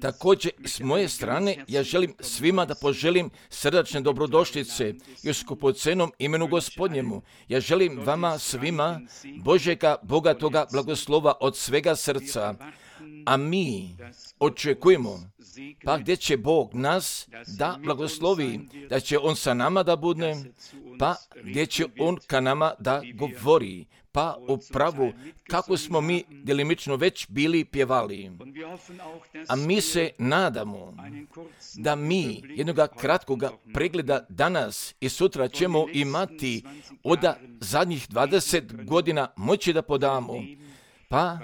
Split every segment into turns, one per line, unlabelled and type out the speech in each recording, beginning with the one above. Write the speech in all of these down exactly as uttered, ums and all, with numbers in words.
Također, s moje strane, ja želim svima da poželim srdačne dobrodošlice i u skupocenom imenu Gospodnjemu. Ja želim vama svima Božjega bogatoga blagoslova od svega srca, a mi očekujemo, pa gdje će Bog nas da blagoslovi, da će On sa nama da bude, pa gdje će On ka nama da govori, pa upravo kako smo mi djelimično već bili pjevali. A mi se nadamo da mi jednoga kratkoga pregleda danas i sutra ćemo imati od zadnjih dvadeset godina moći da podamo, pa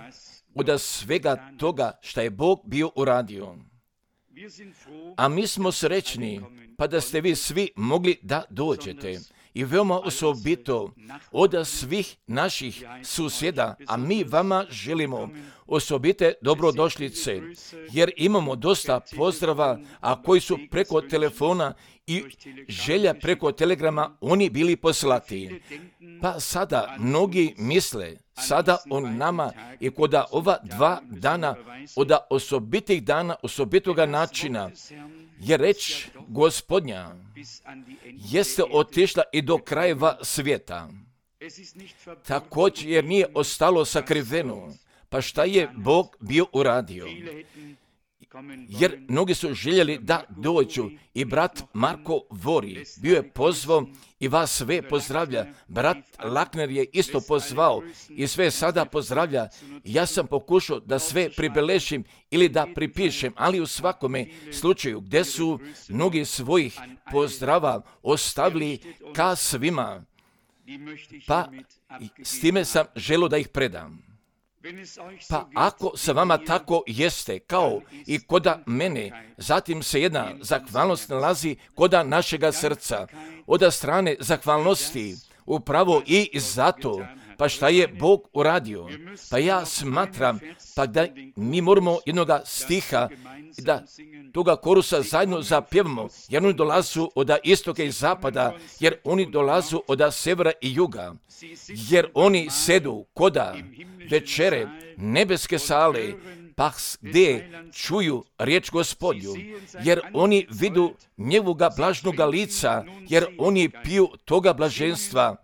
od svega toga što je Bog bio uradio. A mi smo srećni, pa da ste vi svi mogli da dođete. I veoma osobito od svih naših susjeda, a mi vama želimo osobite dobrodošlice, jer imamo dosta pozdrava, a koji su preko telefona i želja preko telegrama oni bili poslati. Pa sada mnogi misle, sada on nama i kod ova dva dana, od osobitih dana, osobitoga načina, je reč Gospodnja jeste otišla i do krajeva svijeta. Također jer nije ostalo sakriveno. Pa šta je Bog bio uradio? Jer mnogi su željeli da dođu i brat Marko Vori bio je pozvao i vas sve pozdravlja. Brat Lakner je isto pozvao i sve sada pozdravlja. Ja sam pokušao da sve pribelešim ili da pripišem, ali u svakome slučaju gdje su mnogi svojih pozdrava ostavili ka svima, pa s time sam želio da ih predam. Pa ako sa vama tako jeste, kao i koda mene, zatim se jedna zahvalnost nalazi koda našega srca. Od strane zahvalnosti, upravo i zato, pa šta je Bog uradio? Pa ja smatram, pa da mi moramo jednoga stiha, da toga korusa zajedno zapjevamo, jer oni dolazu od istoka i zapada, jer oni dolazu od severa i juga, jer oni sedu koda večere nebeske sale, pa gdje čuju riječ Gospodnju, jer oni vidu njegovoga blažnoga lica, jer oni piju toga blaženstva,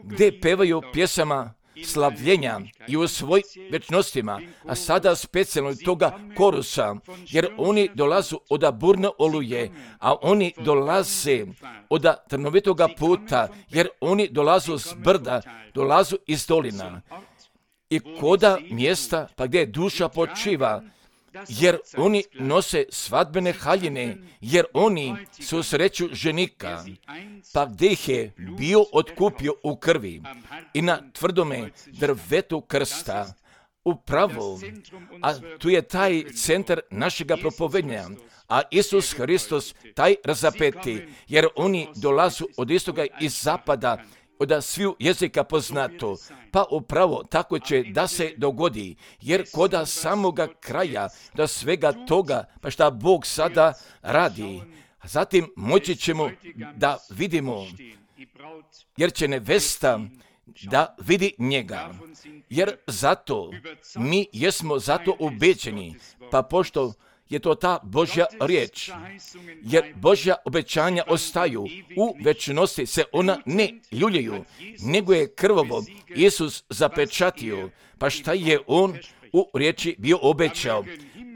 gdje pevaju pjesama slavljenja i u svoj večnostima, a sada specijalno toga korusa, jer oni dolazu od burne oluje, a oni dolaze od trnovitoga puta, jer oni dolazu s brda, dolazu iz dolina. I koda mjesta, pa gdje duša počiva, jer oni nose svadbene haljine, jer oni su sreću ženika, pa gdje ih je bio otkupio u krvi i na tvrdome drvetu krsta. Upravo, a tu je taj centar našega propovednja, a Isus Hristos taj razapeti, jer oni dolazu od istoga i zapada, od sviju jezika poznato, pa upravo tako će da se dogodi, jer koda samoga kraja, da svega toga, pa šta Bog sada radi, a zatim moći ćemo da vidimo, jer će nevesta da vidi njega, jer zato mi jesmo zato ubeđeni, pa pošto je to ta Božja riječ, jer Božja obećanja ostaju, u večnosti se ona ne ljuljaju, nego je krvovo Isus zapečatio, pa šta je on u riječi bio obećao,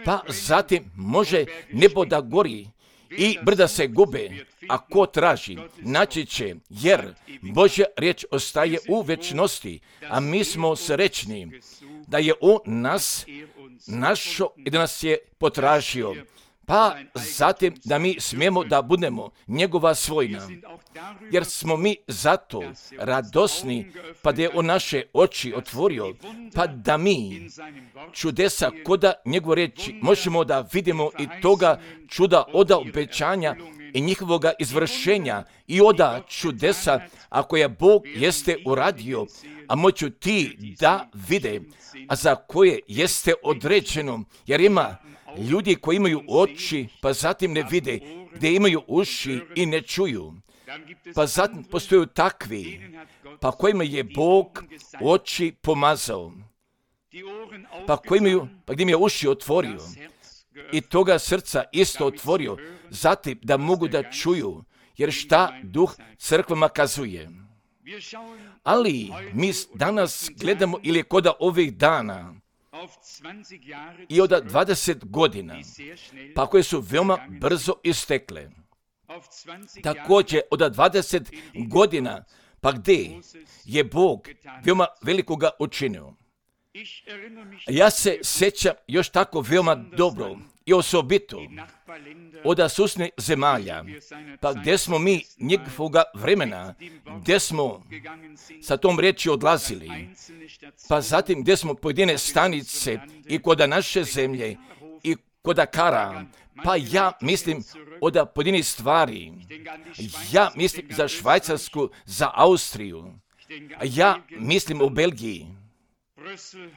pa zatim može nebo da gori i brda se gube, a ko traži, naći će, jer Božja riječ ostaje u večnosti, a mi smo srećni da je on nas našo i da nas je potražio, pa zatim da mi smijemo da budemo njegova svojina, jer smo mi zato radosni, pa da je on naše oči otvorio, pa da mi čudesa koda njegove riječi možemo da vidimo i toga čuda od obećanja i njihovoga izvršenja i oda čudesa, ako je Bog jeste uradio, a moću ti da vide, a za koje jeste određeno, jer ima ljudi koji imaju oči, pa zatim ne vide, gdje imaju uši i ne čuju. Pa zatim postoju takvi, pa kojima je Bog oči pomazao. pa, koji mi, pa gdje mi je uši otvorio i toga srca isto otvorio, zatim da mogu da čuju, jer šta duh crkvama kazuje. Ali mi danas gledamo ili koda ovih dana i od dvadeset godina, pa koje su veoma brzo istekle. Također od dvadeset godina, pa gdje je Bog veoma velikoga učinio. Ja se sjećam još tako veoma dobro i osobito od susjednih zemalja, pa gdje smo mi njegovoga vremena, gdje smo sa tom riječi odlazili, pa zatim gdje smo pojedine stanice i kod naše zemlje i kod Kara, pa ja mislim od pojedinih stvari, ja mislim za Švajcarsku, za Austriju, ja mislim o Belgiji,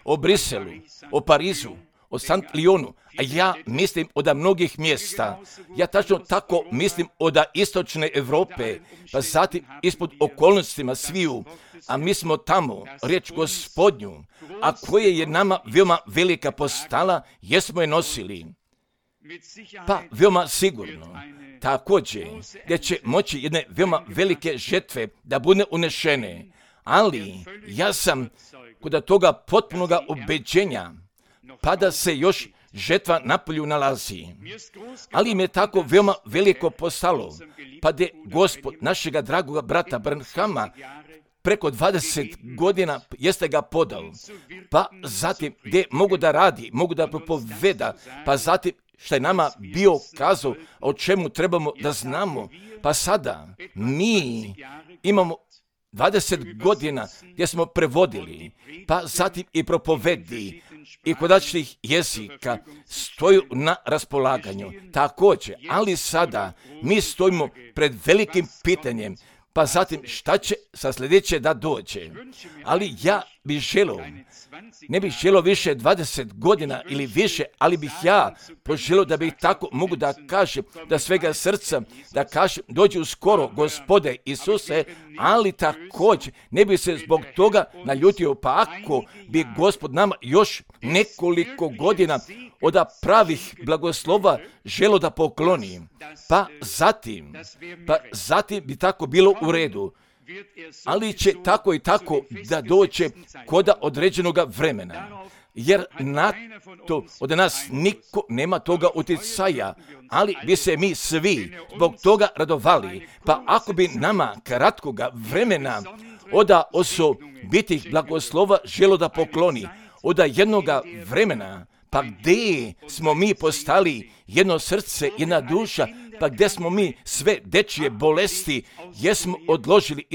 o Briselu, o Parizu, o Sant Lyonu, a ja mislim od mnogih mjesta. Ja tačno tako mislim od istočne Europe, pa zatim ispod okolnostima sviju, a mi smo tamo, riječ Gospodnju, a koje je nama veoma velika postala, jesmo je nosili. Pa veoma sigurno, također, gdje će moći jedne veoma velike žetve da bude unešene, ali ja sam kod toga potpunoga ubeđenja, pa da se još žetva na polju nalazi. Ali im je tako veoma veliko postalo, pa da Gospod našega dragoga brata Branhama preko dvadeset godina jeste ga podao, pa zatim gdje mogu da radi, mogu da propoveda, pa zatim što je nama bio kazao o čemu trebamo da znamo, pa sada mi imamo dvadeset godina gdje smo prevodili, pa zatim i propovedi i kodačnih jezika stoju na raspolaganju. Također, ali sada mi stojimo pred velikim pitanjem, pa zatim šta će sa sljedeće da dođe. Ali ja bih želio, ne bih želio više dvadeset godina ili više, ali bih ja poželio da bih tako mogu da kažem, da svega srca, da kažem, dođi uskoro, Gospode Isuse, ali također ne bi se zbog toga naljutio, pa ako bi Gospod nama još nekoliko godina od pravih blagoslova želo da pokloni, pa zatim, pa zatim bi tako bilo u redu. Ali će tako i tako da doće koda određenog vremena, jer na to od nas niko nema toga utjecaja, ali bi se mi svi zbog toga radovali, pa ako bi nama kratkoga vremena od osobitih blagoslova želo da pokloni, od jednoga vremena, pa gdje smo mi postali jedno srce, jedna duša, pa gdje smo mi sve dečije bolesti, jesmo odložili,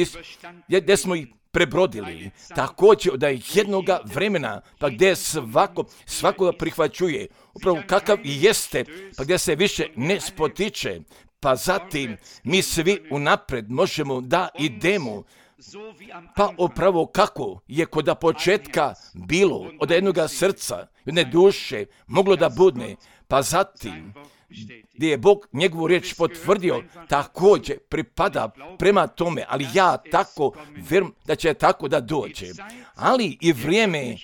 gdje smo ih prebrodili. Također od jednoga vremena, pa gdje svako, svakoga prihvaćuje, upravo kakav i jeste, pa gdje se više ne spotiče, pa zatim mi svi unapred možemo da idemo, pa upravo kako je kod početka bilo od jednoga srca, jedne duše, moglo da bude, pa zatim gdje je Bog njegovu riječ potvrdio, također pripada prema tome, ali ja tako vjerujem da će tako da dođe. Ali i vrijeme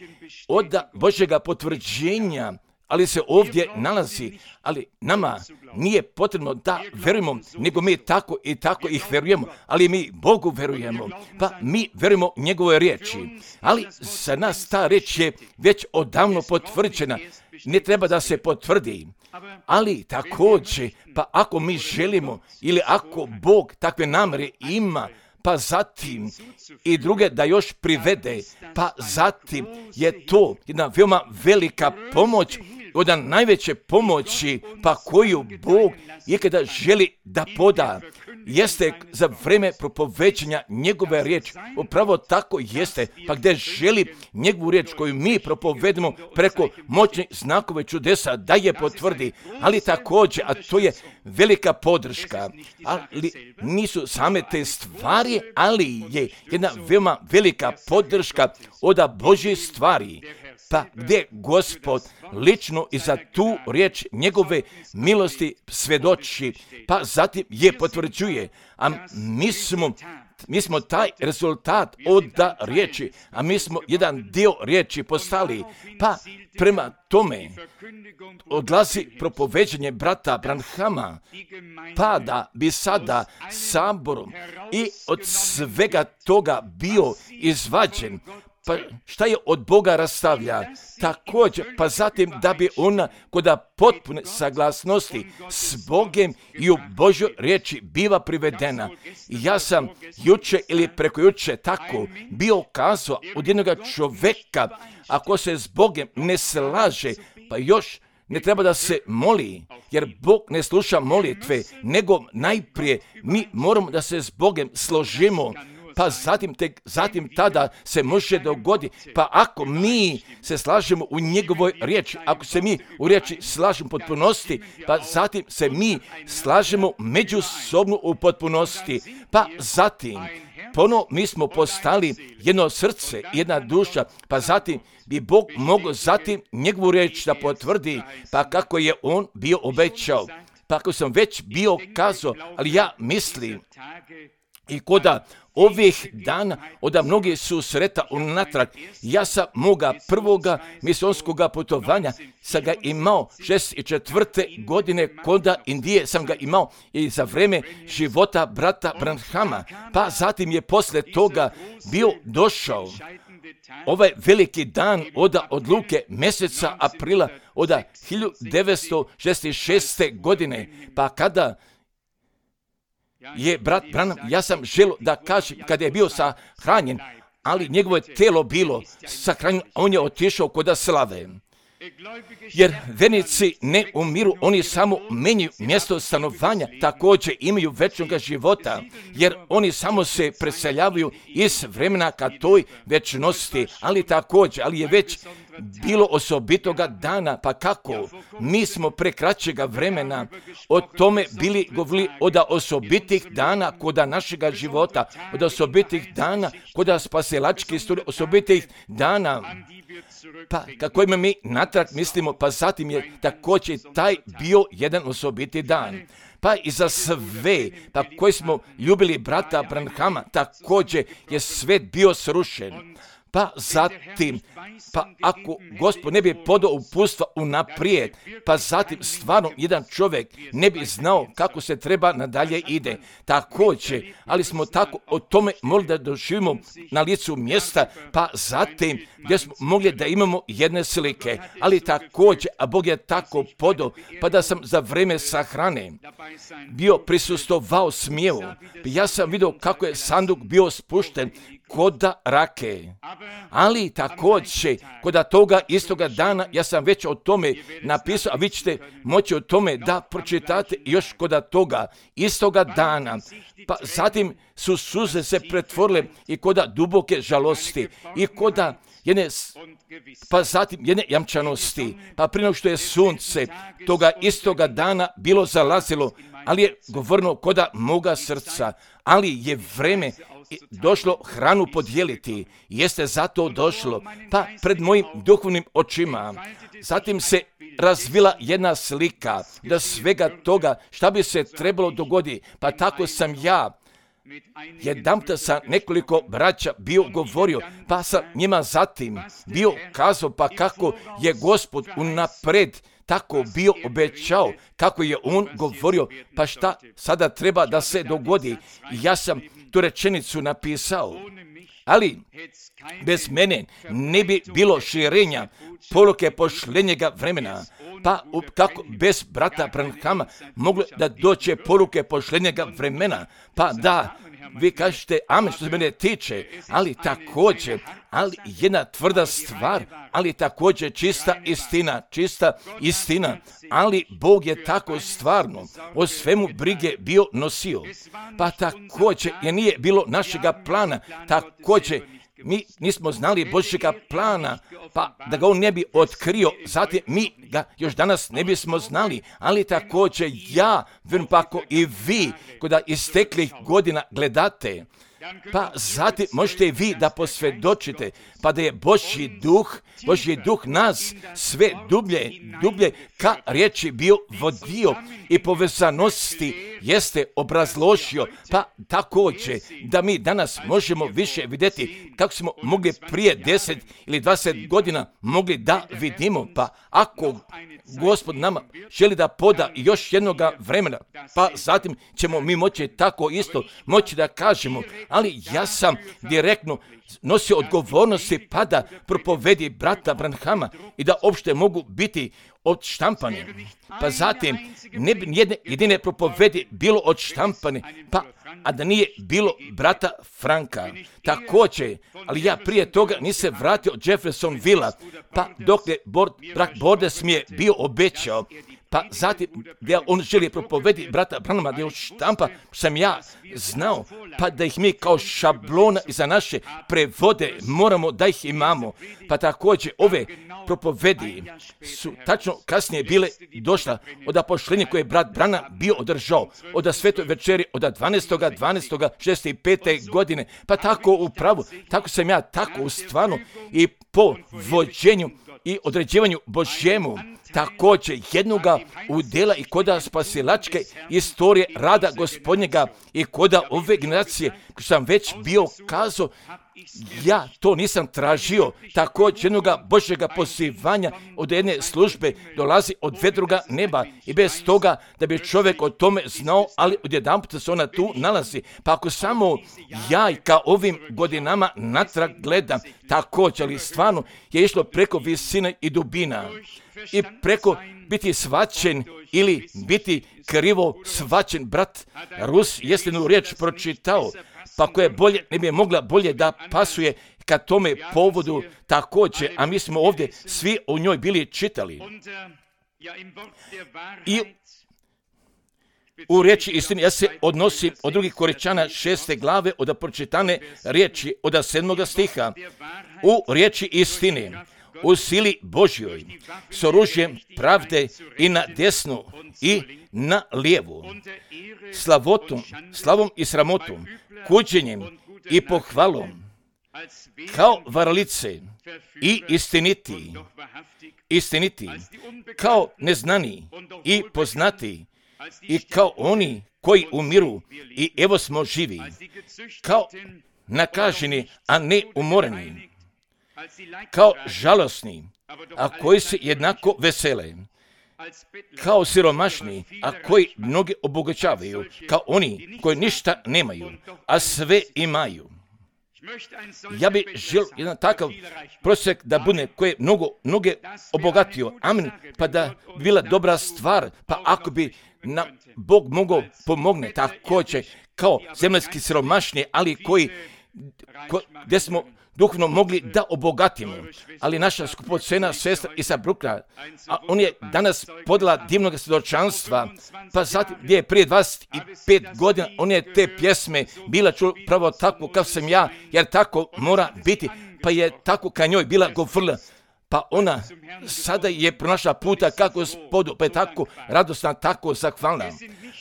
od Božjega potvrđenja, ali se ovdje nalazi, ali nama nije potrebno da verujemo, nego mi tako i tako ih verujemo, ali mi Bogu verujemo, pa mi verujemo njegove riječi. Ali za nas ta riječ je već odavno potvrđena, ne treba da se potvrdi. Ali također, pa ako mi želimo ili ako Bog takve namjere ima, pa zatim i druge da još privede, pa zatim je to jedna veoma velika pomoć, od najveće pomoći, pa koju Bog ikada želi da poda, jeste za vrijeme propoveđanja njegove riječi. Upravo tako jeste, pa gdje želi njegovu riječ koju mi propovedemo preko moćnih znakove čudesa da je potvrdi, ali također, a to je velika podrška, ali nisu same te stvari, ali je jedna veoma velika podrška od Božje stvari, pa gdje Gospod lično i za tu riječ njegove milosti svjedoči, pa zatim je potvrđuje, a mi smo mi smo taj rezultat od riječi, a mi smo jedan dio riječi postali. Pa prema tome odlazi propoveđenje brata Branhama, pa da bi sada saborom i od svega toga bio izvađen. Pa šta je od Boga rastavlja? Također, pa zatim da bi ona kod potpune saglasnosti s Bogem i u Božjoj riječi biva privedena. I ja sam juče ili preko juče tako bio kazao od jednog čovjeka, ako se s Bogem ne slaže, pa još ne treba da se moli, jer Bog ne sluša molitve, nego najprije mi moramo da se s Bogem složimo, pa zatim, tek, zatim tada se može dogoditi. Pa ako mi se slažemo u njegovoj riječi, ako se mi u riječi slažemo u potpunosti, pa zatim se mi slažemo međusobno u potpunosti, pa zatim ponovo mi smo postali jedno srce, jedna duša, pa zatim bi Bog mogao zatim njegovu riječ da potvrdi, pa kako je on bio obećao. Pa ako sam već bio kazao, ali ja mislim i koda ovih dana, od mnogi susreta unatrag, ja sam moga prvoga misonskoga putovanja sam ga imao šezdeset četvrte godine koda Indije sam ga imao i za vreme života brata Branhama, pa zatim je posle toga bio došao ovaj veliki dan od odluke mjeseca aprila od hiljadu devetsto šezdeset šeste godine, pa kada je brat Branham, ja sam želio da kažem, kada je bio sahranjen, ali njegovo je telo bilo sahranjeno, on je otišao kod slave. Jer vernici ne umiru, oni samo menjaju mjesto stanovanja, također imaju večnog života, jer oni samo se preseljavaju iz vremena ka toj večnosti, ali također, ali je već bilo osobitoga dana, pa kako? Mi smo pre kraćega vremena o tome bili govorili od osobitih dana koda našega života, od osobitih dana koda spasilačke istorije, osobitih dana. Pa kako ima mi natrag mislimo, pa zatim je također taj bio jedan osobiti dan. Pa i za sve, pa koji smo ljubili brata Branhama, također je svet bio srušen. Pa zatim, pa ako Gospod ne bi podao uputstva unaprijed, pa zatim stvarno jedan čovjek ne bi znao kako se treba nadalje ide. Također, ali smo tako o tome mogli da doživimo na licu mjesta, pa zatim gdje smo mogli da imamo jedne slike, ali također, a Bog je tako podao, pa da sam za vreme sahrane bio prisustovao smijevu. Ja sam vidio kako je sanduk bio spušten koda rake. Ali također, koda toga istoga dana, ja sam već o tome napisao, a vi ćete moći o tome da pročitate još koda toga istoga dana. Pa zatim su suze se pretvorile i koda duboke žalosti i koda jedne, pa zatim jedne jamčanosti, pa prije što je sunce toga istoga dana bilo zalazilo, ali je govorno koda moga srca, ali je vreme došlo hranu podijeliti, jeste zato došlo, pa pred mojim duhovnim očima. Zatim se razvila jedna slika da svega toga šta bi se trebalo dogoditi, pa tako sam ja jedanputa sa nekoliko braća bio govorio, pa sam njima zatim bio kazao, pa kako je Gospod unapred tako bio obećao, kako je on govorio, pa šta sada treba da se dogodi. I ja sam tu rečenicu napisao, ali bez mene ne bi bilo širenja poruke pošljenjega vremena. Pa kako bez brata Branhama moglo da doće poruke pošljenjega vremena? Pa da, vi kažete amen što se mene tiče, ali također, ali jedna tvrda stvar, ali također čista istina, čista istina, ali Bog je tako stvarno o svemu brige bio nosio. Pa također, jer nije bilo našega plana, također, mi nismo znali Božjega plana, pa da ga on ne bi otkrio, zatim mi ga još danas ne bismo znali, ali također ja, vjerujem pa ako i vi, kada isteklih godina gledate, pa zatim možete i vi da posvjedočite, pa da je Božji duh, Božji duh nas sve dublje, dublje ka riječi bio vodio i povezanosti jeste obrazložio, pa također da mi danas možemo više vidjeti kako smo mogli prije deset ili dvadeset godina mogli da vidimo, pa ako Gospod nama želi da poda još jednoga vremena, pa zatim ćemo mi moći tako isto moći da kažemo, ali ja sam direktno nosio odgovornosti pa da propovedi brata Branhama i da uopšte mogu biti odštampani. Pa zatim ne bi jedne jedine propovedi bilo odštampani, pa a da nije bilo brata Franka. Također, ali ja prije toga nisam vratio Jeffersonville-a, pa dok je bord, brak Bordes mi je bio obećao, pa zatim da on želi propovedi brata Branhama da je štampa, sam ja znao, pa da ih mi kao šablona za naše prevode moramo da ih imamo. Pa također ove propovedi su tačno kasnije bile došla od apoštenja koje je brat Branham bio održao od svetoj večeri od dvanaestog dvanaestog šezdeset pete godine. Pa tako upravo, tako sam ja tako u stvarno i po vođenju i određivanju Božjemu također jednoga udjela i koda spasilačke istorije rada Gospodnjega i koda ove generacije, ko sam već bio kazao, ja to nisam tražio, također jednoga Božjega pozivanja od jedne službe dolazi od vedroga neba i bez toga da bi čovjek o tome znao, ali odjedanput se ona tu nalazi. Pa ako samo ja i ka ovim godinama natrag gledam, također, ali stvarno je išlo preko visine i dubina i preko biti svačen ili biti krivo svačen. Brat Rus jestinu riječ pročitao, pa koja je bolje, ne bi mogla bolje da pasuje ka tome povodu također, a mi smo ovdje svi o njoj bili čitali. I u riječi istini, ja se odnosim od drugih Koričana šeste glave od pročitane riječi od sedmoga stiha. U riječi istine, u sili Božjoj, s oružjem pravde i na desnu i na lijevu, slavotom, slavom i sramotom, kuđenjem i pohvalom, kao varalice i istiniti, istiniti, kao neznani i poznati, i kao oni koji umiru i evo smo živi, kao nakaženi, a ne umoreni, kao žalosni, a koji se jednako vesele, kao siromašni, a koji mnoge obogaćavaju, kao oni koji ništa nemaju, a sve imaju. Ja bih želio jedan takav prosjek da bude koji je mnogo, mnoge obogatio. Amin. Pa da bi bila dobra stvar, pa ako bi na Bog mogao pomogne također kao zemaljski siromašni, ali koji, ko, gdje smo duhovno mogli da obogatimo. Ali naša skupocena sestra Isa Brukna, a on je danas podala divnog svjedočanstva, pa zatim gdje je prije dvadeset pet godina, on je te pjesme bila čula pravo tako kao sam ja, jer tako mora biti, pa je tako ka njoj bila govorila. Pa ona sada je pronašla puta kako Gospodu, pa je tako radosna, tako zahvalna.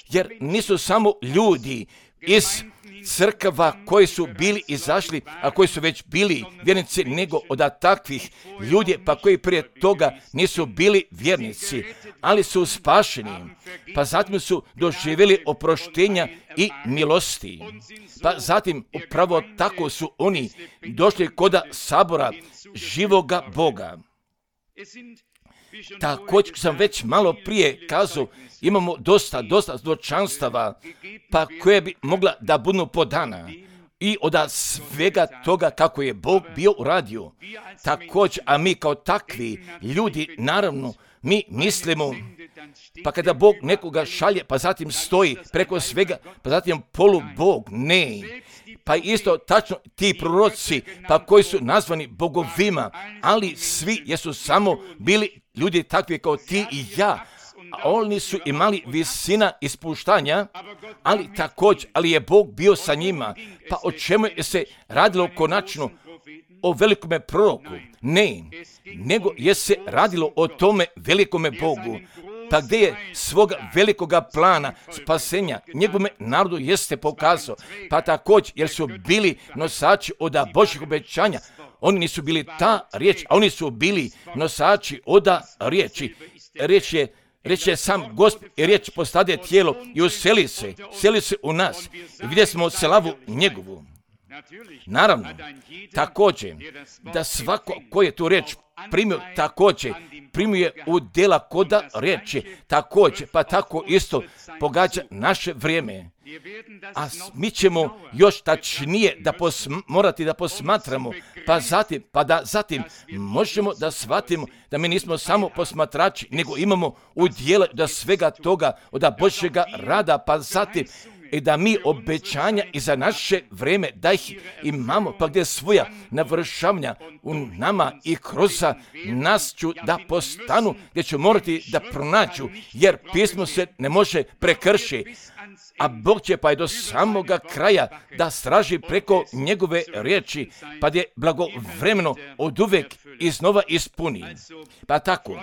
Jer nisu samo ljudi iz crkava koji su bili izašli, a koji su već bili vjernici, nego od takvih ljudi, pa koji prije toga nisu bili vjernici, ali su spašeni, pa zatim su doživjeli oproštenja i milosti. Pa zatim upravo tako su oni došli koda sabora živoga Boga. Također sam već malo prije kazao, imamo dosta, dosta zločanstava, pa koje bi mogla da budu podana. I od svega toga kako je Bog bio uradio. Također, a mi kao takvi ljudi, naravno, mi mislimo, pa kada Bog nekoga šalje, pa zatim stoji preko svega, pa zatim polu Bog, ne. Pa isto tačno ti proroci, pa koji su nazvani bogovima, ali svi jesu samo bili ljudi takvi kao ti i ja. A oni su imali visina ispuštanja, ali također, ali je Bog bio sa njima. Pa o čemu je se radilo konačno? O velikome proroku? Ne, nego je se radilo o tome velikome Bogu. pa gdje je svoga velikoga plana spasenja njegovome narodu jeste pokazao, pa također jer su bili nosači oda Božjih obećanja. Oni nisu bili ta riječ, a oni su bili nosači oda riječi. Riječ je Reč je sam Gospod i riječ postade tijelo i useli se, seli se u nas i vidjeli smo slavu njegovu. Naravno, također, da svako ko je tu riječ primio, također, primio je u djela koda riječi, također, pa tako isto pogađa naše vrijeme. A mi ćemo još tačnije da posm- morati da posmatramo, pa zatim, pa da zatim možemo da shvatimo da mi nismo samo posmatrači, nego imamo u djelu da svega toga od Božjega rada, pa zatim i da mi obećanja i za naše vrijeme da ih imamo, pa gdje svoja navršavanja u nama i kroz nas ću da postanu, gdje ću morati da pronađu, jer pismo se ne može prekršiti. A Bog će pa je do samoga kraja da straži preko njegove riječi, pa je blagovremeno od uvek iznova ispuni. Pa tako,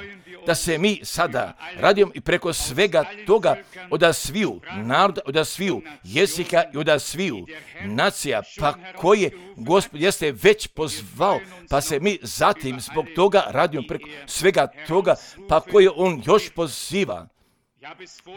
da se mi sada radimo i preko svega toga od sviju naroda, od sviju jezika i od sviju nacija, pa koje Gospod jeste već pozvao, pa se mi zatim zbog toga radimo preko svega toga, pa koje on još poziva.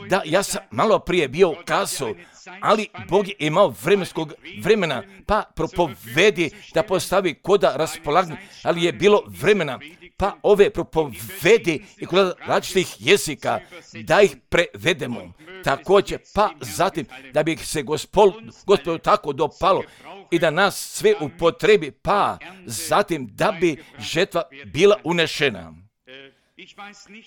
Da, ja sam malo prije bio kazao, ali Bog je imao vremenskog vremena, pa propovedi da postavi koda raspolaganje, ali je bilo vremena, pa ove propovedi i kod različitih jezika, da ih prevedemo. Također, pa zatim, da bi se Gospod, Gospodu tako dopalo i da nas sve upotrebi, pa zatim da bi žetva bila unešena.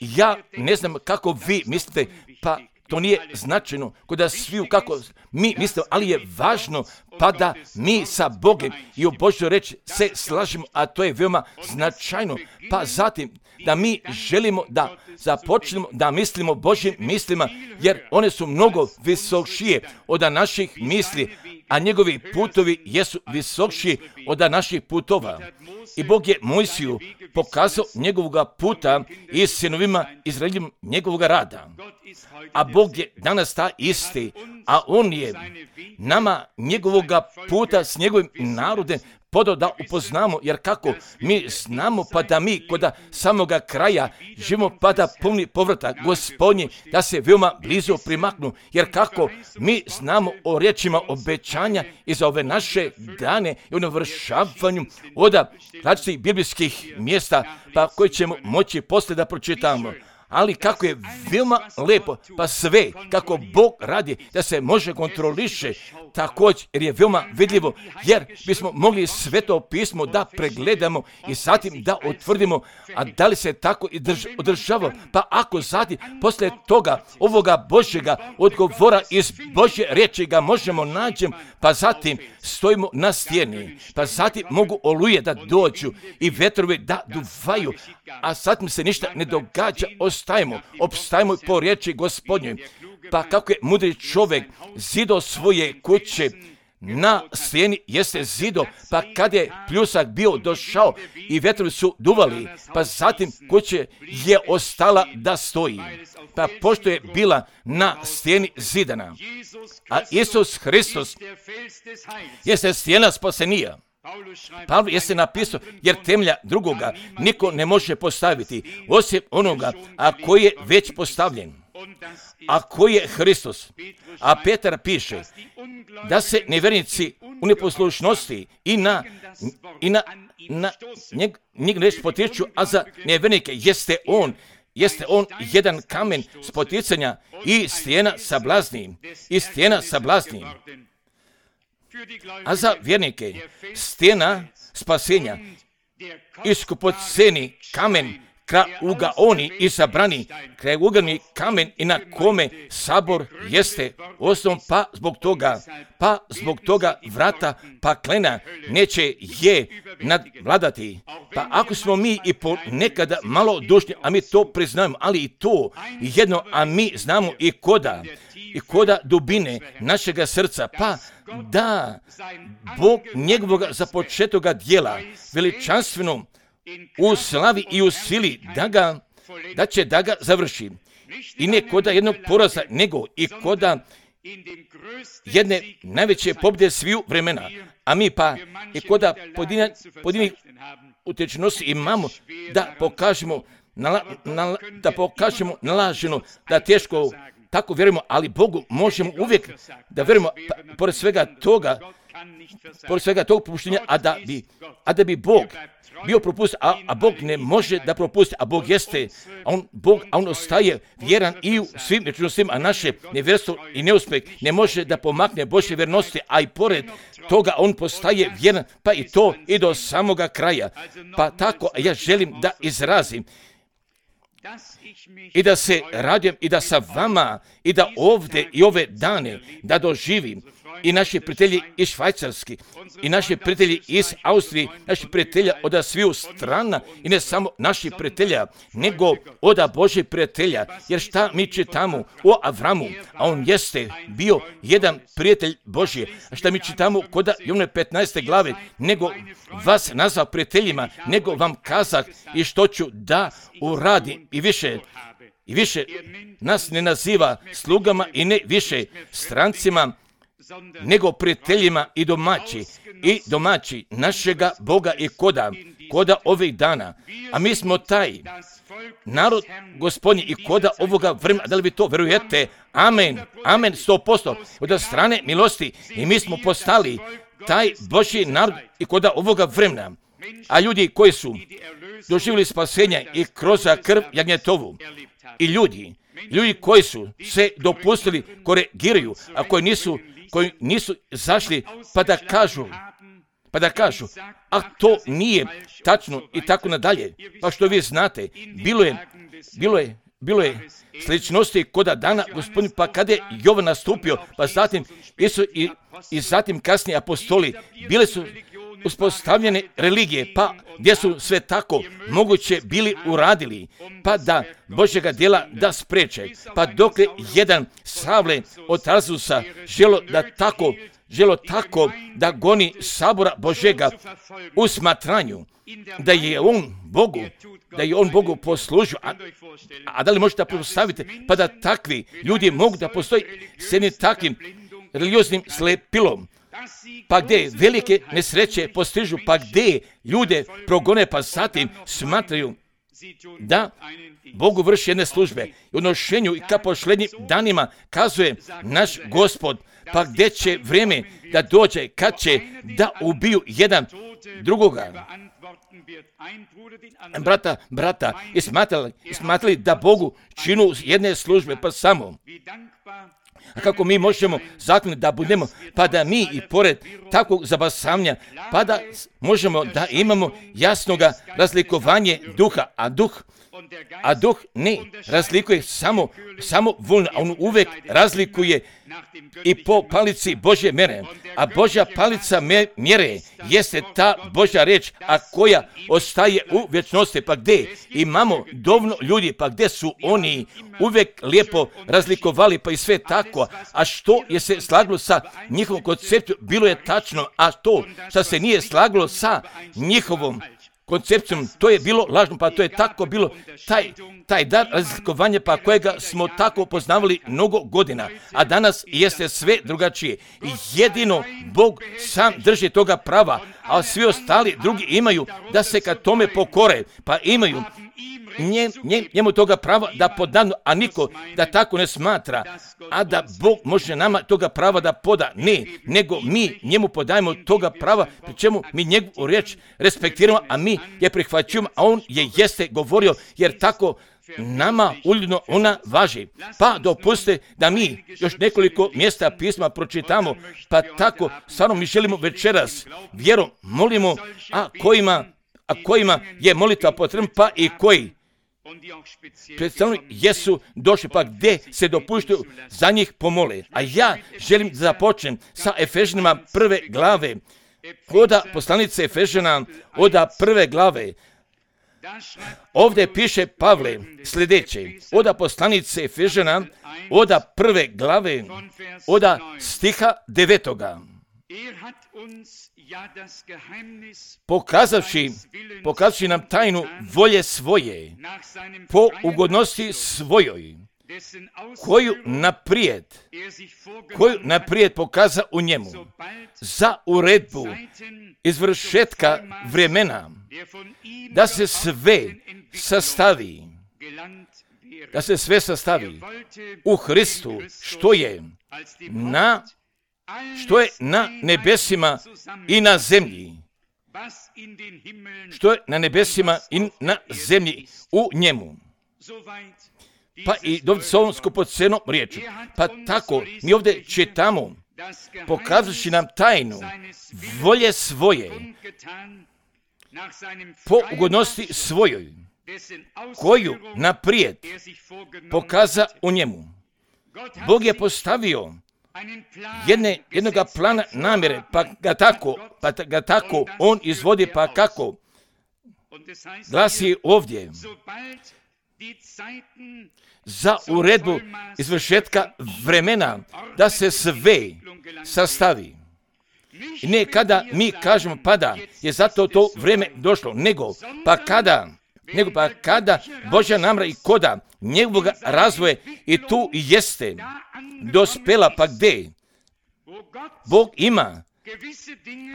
Ja ne znam kako vi mislite, pa to nije značajno kod sviju kako mi mislimo, ali je važno pa da mi sa Bogom i u Božjoj reči se slažemo, a to je veoma značajno. Pa zatim da mi želimo da započnemo da mislimo Božjim mislima, jer one su mnogo visokšije od naših misli, a njegovi putovi jesu visokši od naših putova. I Bog je Mojsiju pokazao njegovoga puta i sinovima Izraeljim njegovoga rada. A Bog je danas ta isti, a on je nama njegovoga puta s njegovim narodem podao da upoznamo, jer kako mi znamo pa da mi kod samoga kraja živimo pa da puni povrata Gospodnji, da se veoma blizu primaknu, jer kako mi znamo o riječima obećanja i za ove naše dane i o navršavanju od različitih biblijskih mjesta, pa koje ćemo moći poslije da pročitamo. Ali kako je veoma lepo, pa sve kako Bog radi da se može kontroliše, također jer je veoma vidljivo, jer bismo mogli Sveto pismo da pregledamo i zatim da utvrdimo, a da li se tako i drž- održava. Pa ako zatim poslije toga ovoga Božjega odgovora iz Božje riječi ga možemo naći, pa zatim stojimo na stijeni, pa zatim mogu oluje da dođu i vetrovi da duvaju, a zatim se ništa ne događa, ostajemo, opstajemo po riječi Gospodnjoj. Pa kako je mudri čovjek zido svoje kuće na stijeni jeste zido, pa kad je pljusak bio došao i vetrovi su duvali, pa zatim kuće je ostala da stoji. Pa pošto je bila na stijeni zidana, a Isus Hristos jeste stijena spasenija. Pavle jeste napisao, jer temelja drugoga niko ne može postaviti, osim onoga, a koji je već postavljen, a koji je Hristos. A Petar piše da se nevjernici u neposlušnosti i na, i na, na njeg, njeg nešto potiču, a za nevjernike jeste on, jeste on jedan kamen spoticanja i stijena sablazni, i stijena sablazni. A za vjernike stijena spasenja, iskupoceni kamen, kraugaoni i sabrani, kraugaoni kamen i na kome sabor jeste osnovom, pa zbog toga, pa zbog toga vrata paklena neće je nadvladati. Pa ako smo mi i ponekada malo dušni, a mi to priznajemo, ali i to jedno, a mi znamo i koda, i koda dubine našega srca, pa da Bog njegovog započetoga djela veličanstveno u slavi i u sili da ga da će da ga završi. I ne koda jednog poraza, nego i koda jedne najveće pobjede sviju vremena. A mi pa i koda pojedinih utečenosti imamo da pokažemo, nala, nala, da pokažemo nalaženo, da teško tako vjerujemo, ali Bogu možemo uvijek da vjerujemo, pa, pored svega toga, pored svega tog propuštenja, a da bi, a da bi Bog bio propust, a, a Bog ne može da propusti, a Bog jeste, a on, Bog, a on ostaje vjeran i u svim vječnostima, a naše nevjerstvo i neuspjeh ne može da pomakne Božje vjernosti, a i pored toga on postaje vjeran, pa i to i do samoga kraja. Pa tako ja želim da izrazim i da se radujem i da sa vama i da ovdje i ove dane da doživim i naši prijatelji iz Švajcarski, i naši prijatelji iz Austrije, naši prijatelja od sviju strana, i ne samo naši prijatelja, nego od Božih prijatelja. Jer šta mi čitamo o Avramu, a on jeste bio jedan prijatelj Božji. A šta mi čitamo kod Jovne petnaeste glave, nego vas nazvao prijateljima, nego vam kazah i što ću da uradim i više. I više nas ne naziva slugama i ne više strancima, nego prijateljima i domaći, i domaći našega Boga i koda, koda ovih dana. A mi smo taj narod Gospodnji i koda ovoga vremena. Da li vi to verujete? Amen, amen, sto posto. Od strane milosti i mi smo postali taj Božji narod i koda ovoga vremena. A ljudi koji su doživjeli spasenja i kroz krv jagnjetovu, i ljudi, ljudi koji su se dopustili, korigiraju, a koji nisu koji nisu zašli pa da kažu, pa da kažu, a to nije tačno i tako nadalje. Pa što vi znate, bilo je, bilo je, bilo je sličnosti koda dana Gospodin, pa kada je Jovan nastupio, pa zatim Isus i, i zatim kasnije apostoli, bile su uspostavljene religije, pa gdje su sve tako moguće bili uradili, pa da Božjega djela da spreče, pa dok je jedan Savle od Tarzusa želo da tako, želo tako da goni sabora Božjega u smatranju, da je on Bogu, da je on Bogu poslužio, a, a da li možete postaviti, pa da takvi ljudi mogu da postoji s jednim takvim religioznim slepilom, pa gdje velike nesreće postižu, pa gdje ljude progone, pa zatim smatraju da Bogu vrši jedne službe. I u nošenju i ka pošlednjim danima kazuje naš Gospod, pa gdje će vrijeme da dođe, kad će da ubiju jedan drugoga. Brata, brata, i smatrali, i smatrali da Bogu činu jedne službe, pa samo. A kako mi možemo zakloniti da budemo, pa da mi i pored takvog zabasavanja, pa da možemo da imamo jasnoga razlikovanje duha, a duh, a duh ne razlikuje samo, samo voljno, a on uvijek razlikuje i po palici Božje mjere. A Božja palica mjere jeste ta Božja reč, a koja ostaje u vječnosti. Pa gdje imamo dovoljno ljudi, pa gdje su oni uvijek lijepo razlikovali, pa i sve tako. A što je se slaglo sa njihovom koncepcijom, bilo je tačno, a to što se nije slaglo sa njihovom koncepcijom, to je bilo lažno, pa to je tako bilo taj, taj dar razlikovanja, pa kojega smo tako poznavali mnogo godina, a danas jeste sve drugačije. I jedino Bog sam drži toga prava, a svi ostali drugi imaju da se kad tome pokore, pa imaju nje, nje, njemu toga prava da podanu, a niko da tako ne smatra, a da Bog može nama toga prava da poda. Ne, nego mi njemu podajemo toga prava, pri čemu mi njegovu riječ respektiramo, a mi je prihvaćujemo, a on je jeste govorio, jer tako nama uljudno ona važi. Pa dopustite da mi još nekoliko mjesta pisma pročitamo, pa tako stvarno mi želimo večeras vjerom molimo, a kojima, a kojima je molitva potrebna, pa i koji predstavno jesu došli, pa gdje se dopuštaju za njih pomole. A ja želim da započnem sa Efežanima prve glave, oda poslanice Efežana, oda prve glave. Ovdje piše Pavle sljedeće, oda poslanice Efežana, oda prve glave, oda stiha devetoga. Pokazavši, pokazavši nam tajnu volje svoje, po ugodnosti svojoj, koju naprijed, koju naprijed pokaza u njemu, za uredbu izvršetka vremena, da se sve sastavi, da se sve sastavi u Hristu, što je na, što je na nebesima i na zemlji, što je na nebesima i na zemlji u njemu. Pa i dovde s ovom skupocenom riječu. Pa tako, mi ovdje čitamo, pokazujući nam tajnu volje svoje, po ugodnosti svojoj, koju naprijed pokaza u njemu. Bog je postavio jedne, jednoga plana namjere, pa ga tako, pa ga tako on izvodi, pa kako glasi ovdje, za uredbu izvršetka vremena, da se sve sastavi. I ne kada mi kažemo pa da je zato to vrijeme došlo, nego pa kada, nego pa kada Božja namjera i koda njegovog razvoja i tu jeste dospela, pa gdje Bog ima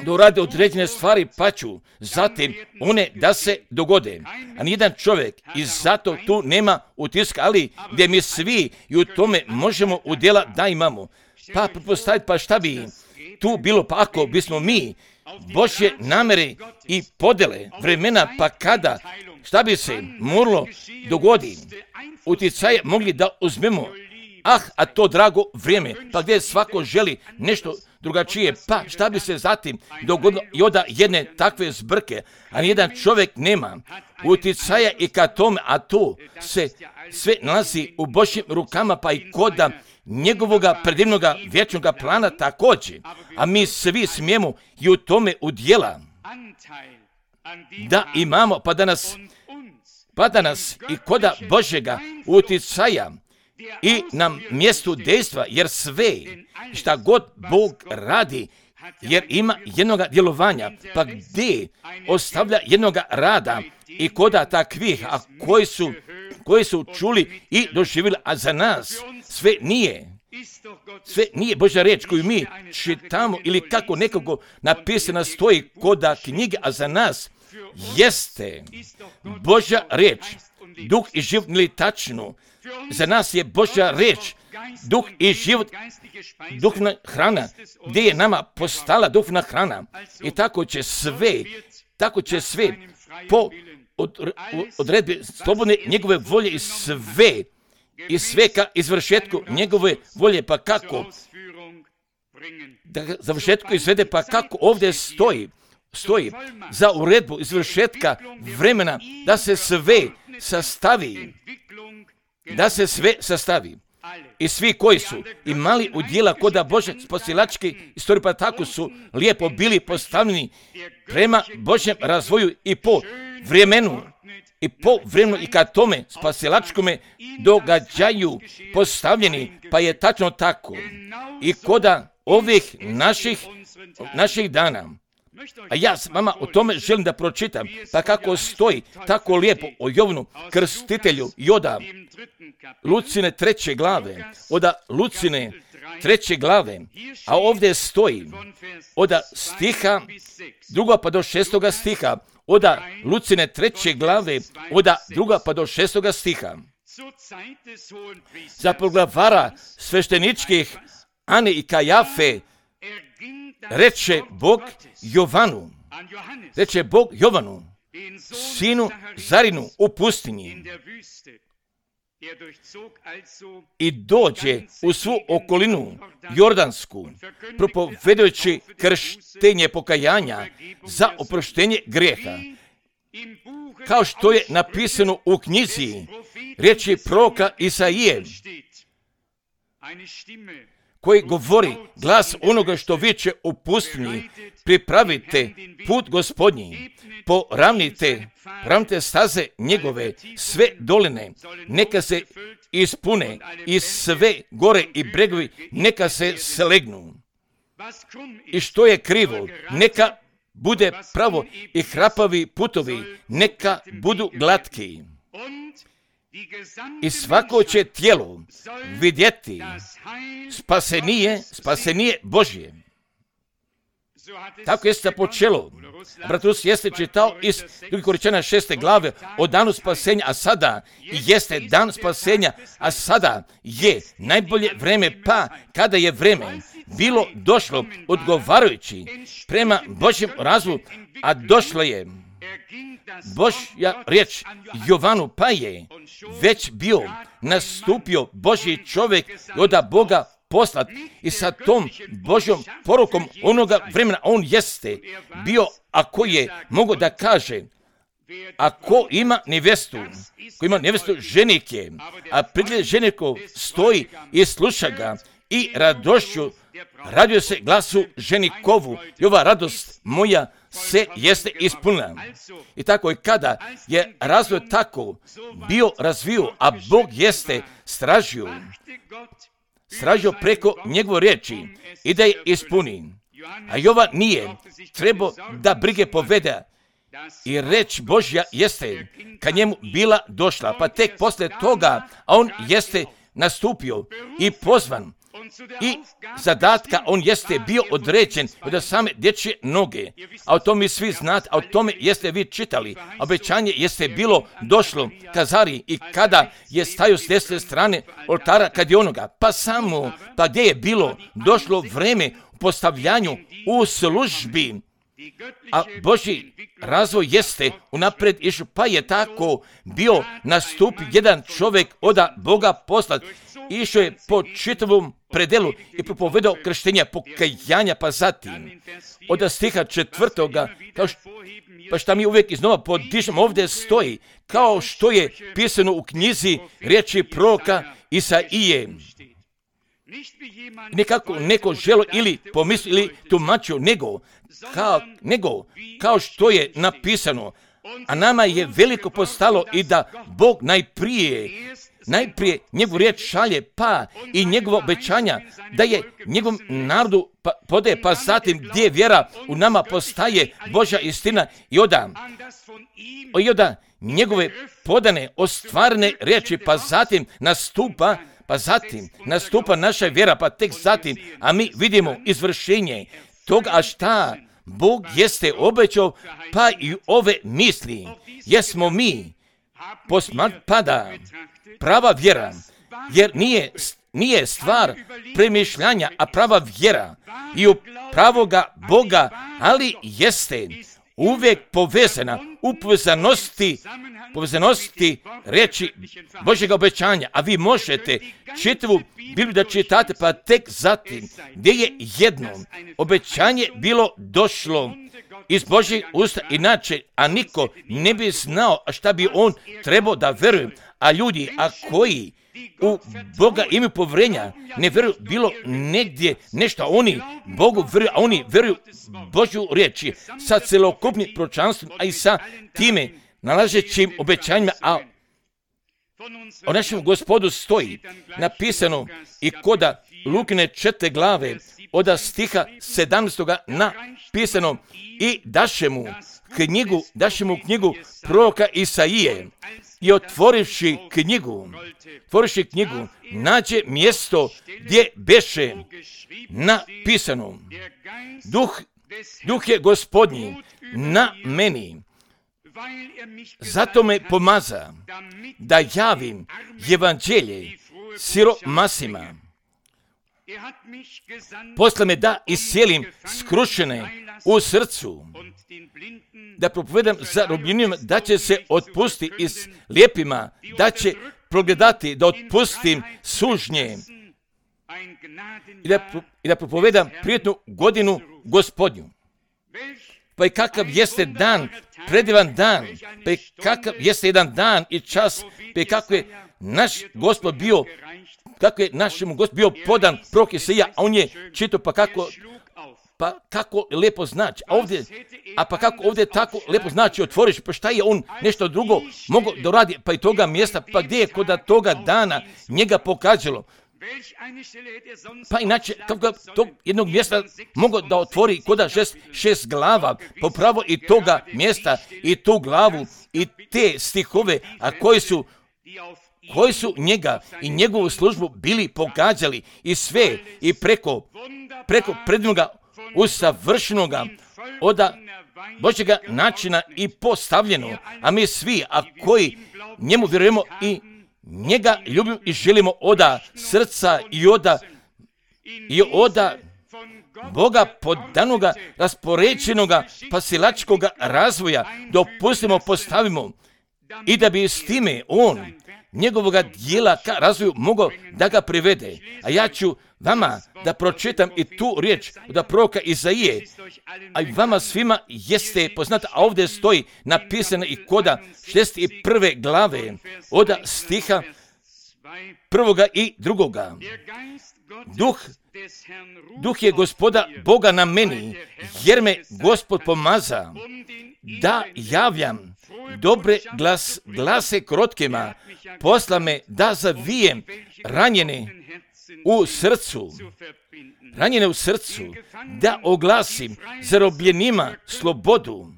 da urade određene stvari, pa ću zatim one da se dogode. A nijedan čovjek i zato tu nema utiska, ali gdje mi svi i u tome možemo udjela da imamo. Pa pretpostaviti, pa šta bi tu bilo, pa ako bismo mi Božje namjere i podele vremena, pa kada, šta bi se moralo dogodi, uticaje mogli da uzmemo, ah, a to drago vrijeme, pa gdje svako želi nešto drugačije, pa šta bi se zatim dogodilo i onda jedne takve zbrke, a nijedan čovjek nema uticaja i ka tome, a to se sve nalazi u Božjim rukama, pa i koda njegovoga predivnoga vječnoga plana također, a mi svi smijemo i u tome udjela da imamo, pa da nas, pa da nas i koda Božjega uticaja i na mjestu dejstva, jer sve šta god Bog radi, jer ima jednoga djelovanja, pa gdje ostavlja jednoga rada i koda takvih, a koji su, koji su čuli i doživjeli, a za nas sve nije. Sve nije Božja riječ koju mi čitamo ili kako nekako napisana stoji koda knjige, a za nas jeste Božja riječ, duh i život ili tačno. Za nas je Božja riječ, duh i život, duhna hrana, gdje je nama postala duhna hrana. I tako će sve, tako će sve po od, odredbi slobodne njegove volje i sve, i sve ka izvršetku njegove volje, pa kako da ga završetku izvede, pa kako ovdje stoji, stoji za uredbu izvršetka vremena, da se sve sastavi, da se sve sastavi. I svi koji su imali udjela koda Božje spasilačke istorije, pa tako su lijepo bili postavljeni prema Božjem razvoju i po vremenu, i po vremenu i ka tome spasilačkome događaju postavljeni, pa je tačno tako. I koda ovih naših, naših dana, a ja s vama o tome želim da pročitam, pa kako stoji tako lijepo o Jovanu Krstitelju i oda Lucine treće glave, oda Lucine treće glave, a ovdje stoji oda stiha, druga pa do šestoga stiha, oda Lucine treće glave, oda druga pa do šestoga stiha. Za poglavara svešteničkih Ane i Kajafe reče Bog Jovanu, reče Bog Jovanu, sinu Zarinu u pustinji, i dođe u svu okolinu Jordansku, propovedajući krštenje pokajanja za oproštenje grijeha, kao što je napisano u knjizi riječi proroka Isaije, koji govori glas onoga što viče u pustinji, pripravite put Gospodnji, poravnite, poravnite staze njegove, sve doline, neka se ispune i sve gore i bregovi neka se slegnu. i što je krivo, neka bude pravo i hrapavi putovi, neka budu glatki. I svako će tijelo vidjeti spasenije, spasenije Božje. Tako jeste počelo. Bratus jeste čitao iz drugog Korinčana šeste glave o danu spasenja, a sada jeste dan spasenja, a sada je najbolje vreme, pa kada je vreme bilo došlo odgovarajući prema Božjem razvoju, a došlo je Božja riječ Jovanu, pa je već bio nastupio Božji čovjek i od Boga poslat i sa tom Božjom porukom onoga vremena on jeste bio, ako je mogo da kaže, ako ima nevestu, ko ima nevestu ženik je, a pred ženikom stoji i sluša ga i radošću radio se glasu ženikovu i ova radost moja se jeste ispunila. I tako je kada je razvoj tako bio razvio, a Bog jeste stražio, stražio preko njegove riječi i da je ispuni. A Jovan nije trebao da brige povede i reč Božja jeste ka njemu bila došla, pa tek posle toga on jeste nastupio i pozvan i zadatka on jeste bio određen od same dječje noge. A o tome svi znate, a o tome jeste vi čitali. Obećanje jeste bilo došlo Kazari i kada je stajao s desne strane oltara kad je onoga, pa samo, pa gdje je bilo došlo vreme u postavljanju u službi. A Božji razvoj jeste unapred išao, pa je tako bio nastup jedan čovjek od Boga poslat. Išao je po čitavom predelu i propovedao krštenja pokajanja, pa zatim od stiha četvrtoga, kao što, pa šta mi uvijek iznova podižemo, ovdje stoji, kao što je pisano u knjizi riječi proroka Isaije. Nekako neko želo ili pomisli ili tumačio, nego kao, nego kao što je napisano, a nama je veliko postalo i da Bog najprije najprije njegovu riječ šalje, pa i njegova obećanja da je njegovom narodu pa, podaje, pa zatim gdje vjera u nama postaje Božja istina i oda, i oda njegove podane, ostvarene riječi, pa zatim nastupa, pa zatim nastupa naša vjera, pa tek zatim, a mi vidimo izvršenje toga, a šta Bog jeste obećao, pa i ove misli, jesmo mi posmat pada prava vjera, jer nije, nije stvar premišljanja, a prava vjera i u pravoga Boga, ali jeste uvijek povezana u povezanosti, povezanosti reči Božjega obećanja, a vi možete čitavu Bibliju da čitate, pa tek zatim gdje je jedno obećanje bilo došlo iz Božjeg usta, inače, a niko ne bi znao šta bi on trebao da veruje, a ljudi, a koji u Boga imaju povjerenja, ne vjeruju bilo negdje nešto, a oni Bogu vjeruju, a oni vjeruju Božju riječi sa celokupnim proročanstvom, a i sa time nalažećim obećanjima, a o našem Gospodu stoji napisano i koda Lukine četvrte glave od stiha sedamnaestoga napisano i daše mu knjigu, daše mu knjigu proroka Isaije i otvorivši knjigu, otvorivši knjigu, nađe mjesto gdje beše napisano: Duh, duh je Gospodnji na meni, zato me pomaza da javim evanđelje siromasima. Posle me da iscijelim skrušene u srcu, da propovedam zarobljenima, da će se otpusti i s lijepima, da će progledati, da otpustim sužnje i da, i da propovedam prijetnu godinu Gospodnju. Pa i kakav jeste dan, predivan dan, pa i kakav jeste jedan dan i čas, pa i kako je naš Gospod bio, kako je našemu Gospodu bio podan prorok Isaija, a on je čitao, pa kako, pa kako lijepo znači, a ovdje, a pa kako ovdje tako lijepo znači otvoriš, pa šta je on nešto drugo mogao da radi, pa i toga mjesta, pa gdje je kod toga dana njega pokazalo, Pa inače, kako ga tog jednog mjesta mogu da otvori koda šest, šest glava, popravo i toga mjesta, i tu glavu, i te stihove, a koji su, koji su njega i njegovu službu bili pogađali, i sve, i preko, preko prednoga usavršenoga, oda Božjega načina i postavljeno, a mi svi, a koji njemu vjerujemo i njega ljubimo i želimo oda srca i oda i oda Boga podanoga, raspoređenoga, pasilačkoga razvoja, dopustimo, postavimo, i da bi s time on njegovoga dijela ka razvoju mogao da ga privede. A ja ću vama da pročitam i tu riječ od proroka Izaije, a i vama svima jeste poznata, a ovdje stoji napisana i koda šezdeset prve glave od stiha prvoga i drugoga. Duh, duh je Gospoda Boga na meni, jer me Gospod pomaza da javljam dobre glas, glase krotkima, posla me da zavijem ranjene u srcu, ranjene u srcu, da oglasim zarobljenima slobodu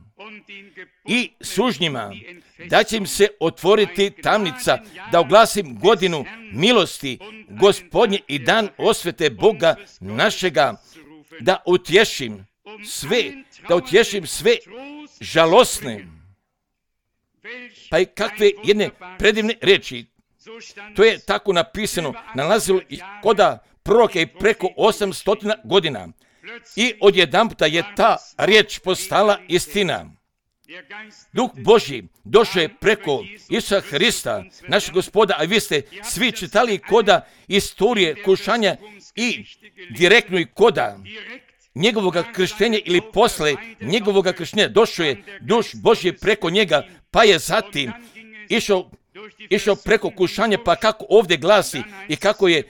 i sužnjima, da će im se otvoriti tamnica, da oglasim godinu milosti Gospodnje i dan osvete Boga našega, da utješim sve, da utješim sve žalosne. Pa i kakve jedne predivne riječi. To je tako napisano, nalazilo i koda proroka i preko osamsto godina. I odjedanputa je ta riječ postala istina. Duh Božji došao je preko Isusa Hrista, našeg Gospoda, a vi ste svi čitali koda istorije kušanja i direktno i koda njegovoga krštenja ili posle njegovoga krštenja došao je Duh Božji preko njega, pa je zatim išao išao preko kušanja, pa kako ovdje glasi i kako je,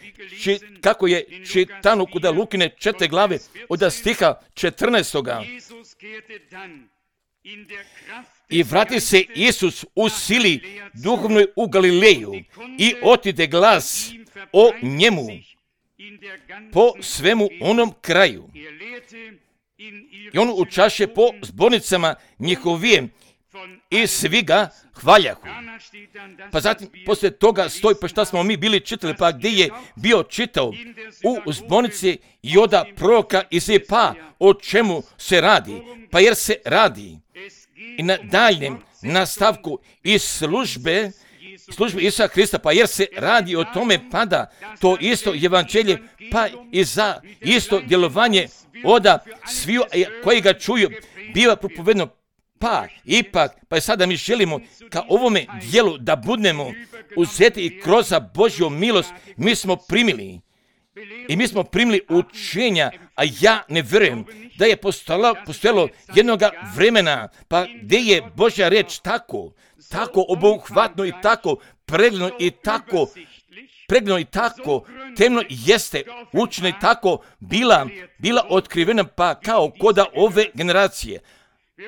či, kako je čitano kuda Lukine četiri glave od stiha četrnaestoga. I vrati se Isus u sili duhovnoj u Galileju i otide glas o njemu po svemu onom kraju. I on učaše po zbornicama njihovijem i svi ga hvaljahu. Pa zatim poslije toga stoji, pa šta smo mi bili čitali, pa gdje je bio čitao u zbornici Joda proroka Izaije, pa o čemu se radi? Pa jer se radi i na daljem nastavku iz službe, službe Isusa Hrista, pa jer se radi o tome pada to isto evanđelje, pa i za isto djelovanje oda sviju koji ga čuju biva propovedno. Pa ipak, pa sada mi želimo ka ovome dijelu da budemo uzeti i kroz Božju milost mi smo primili. I mi smo primili učenja, a ja ne vjerujem da je postojalo, postojalo jednoga vremena, pa gdje je Božja riječ tako, tako obuhvatno i tako pregledno i tako pregledno i tako temno jeste učeno i tako bila, bila otkrivena, pa kao koda ove generacije.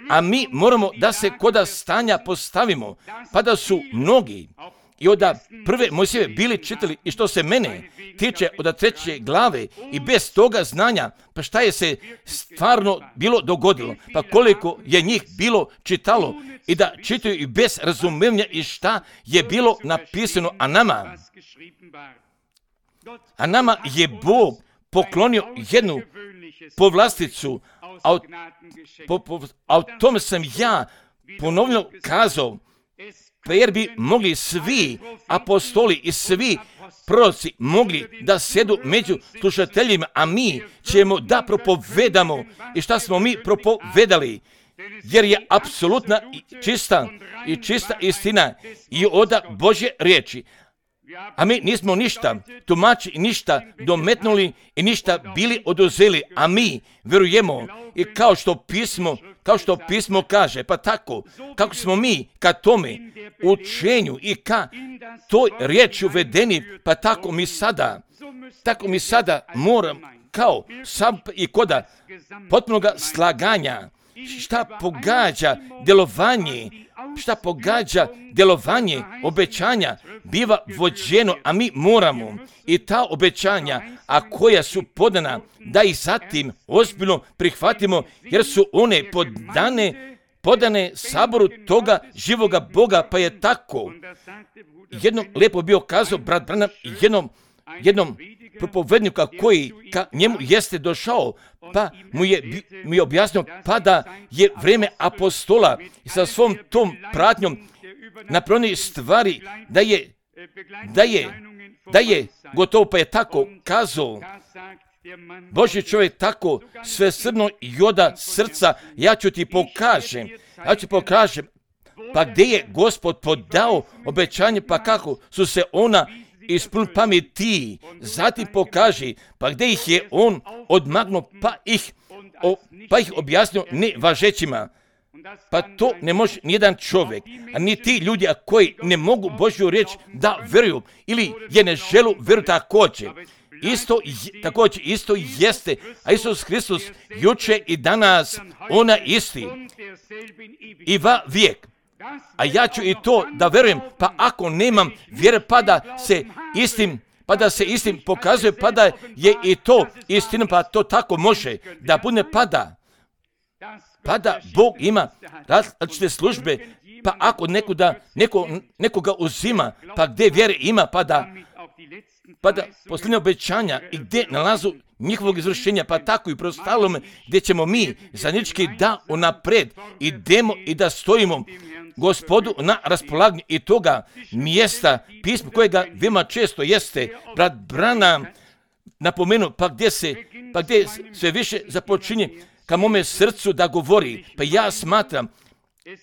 A mi moramo da se koda stanja postavimo, pa da su mnogi i od prve Mojsijeve bili čitali, i što se mene tiče od treće glave, i bez toga znanja, pa šta je se stvarno bilo dogodilo, pa koliko je njih bilo čitalo i da čitaju i bez razumevanja i šta je bilo napisano, a nama, a nama je Bog poklonio jednu povlasticu, a o, po, po, a o tome sam ja ponovno kazao, pa jer bi mogli svi apostoli i svi proroci mogli da sjedu među slušateljima, a mi ćemo da propovedamo. I šta smo mi propovedali? Jer je apsolutna i čista i čista istina i oda Božje riječi. A mi nismo ništa tumači, ništa dometnuli i ništa bili oduzeli, a mi vjerujemo i kao što pismo, kao što pismo kaže, pa tako, kako smo mi ka tome učenju i ka toj riječi uvedeni, pa tako mi sada, tako mi sada moram kao sam i koda potpunoga slaganja, šta pogađa djelovanje, šta pogađa djelovanje obećanja, biva vođeno, a mi moramo i ta obećanja, a koja su podana, da ih zatim ozbiljno prihvatimo, jer su one podane, podane saboru toga živoga Boga, pa je tako. Jednom lijepo bio kazao brat Branham, jednom, jednom propovednika koji ka njemu jeste došao, pa mu je, mu je objasnio pa da je vrijeme apostola sa svom tom pratnjom napravljeni stvari, da je, da je, da je gotovo, pa je tako kazao. Božji čovjek tako svesrdno i oda srca, ja ću ti pokažem, ja ću pokažem, pa gdje je Gospod podao obećanje, pa kako su se ona ispunili pameti, zatim pokaži, pa gdje ih je on odmagnuo, pa ih, o, pa ih objasnio nevažećima. Pa to ne može nijedan čovjek, a ni ti ljudi a koji ne mogu Božju riječ da vjeruju ili je ne želu vjeruju također. Isto, također, isto jeste, a Isus Hristos juče i danas, ona isti i va vijek. A ja ću i to da vjerujem, pa ako nemam vjere, pa da se istim, pa da se istim pokazuje, pa da je i to istina, pa to tako može da bude, pa da, pa da Bog ima različite službe, pa ako nekoga, neko, nekoga uzima, pa gdje vjere ima, pa da, pa da posljednje obećanja i gdje nalazu njihovog izvršenja, pa tako i prostalome gdje ćemo mi zajednički da unapred idemo i da stojimo Gospodu na raspolaganju i toga mjesta pisma kojega veoma često jeste brat Branham napomenu, pa gdje se, pa gdje sve više započinje ka mome srcu da govori, pa ja smatram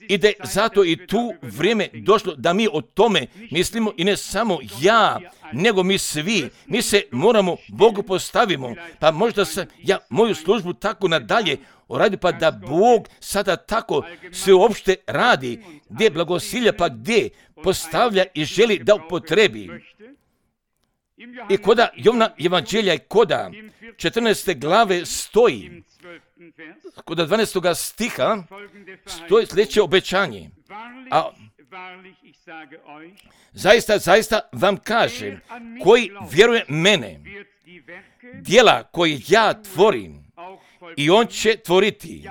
i da je zato i tu vrijeme došlo da mi o tome mislimo i ne samo ja, nego mi svi. Mi se moramo Bogu postavimo, pa možda sam ja moju službu tako nadalje uradi, pa da Bog sada tako sve uopšte radi, gdje blagosilja, pa gdje postavlja i želi da upotrebi. I koda Jovna evanđelja i koda četrnaeste glave stoji, kod dvanaestoga stiha stoji sljedeće obećanje. A zaista, zaista vam kažem, koji vjeruje mene, djela koje ja tvorim, i on će tvoriti,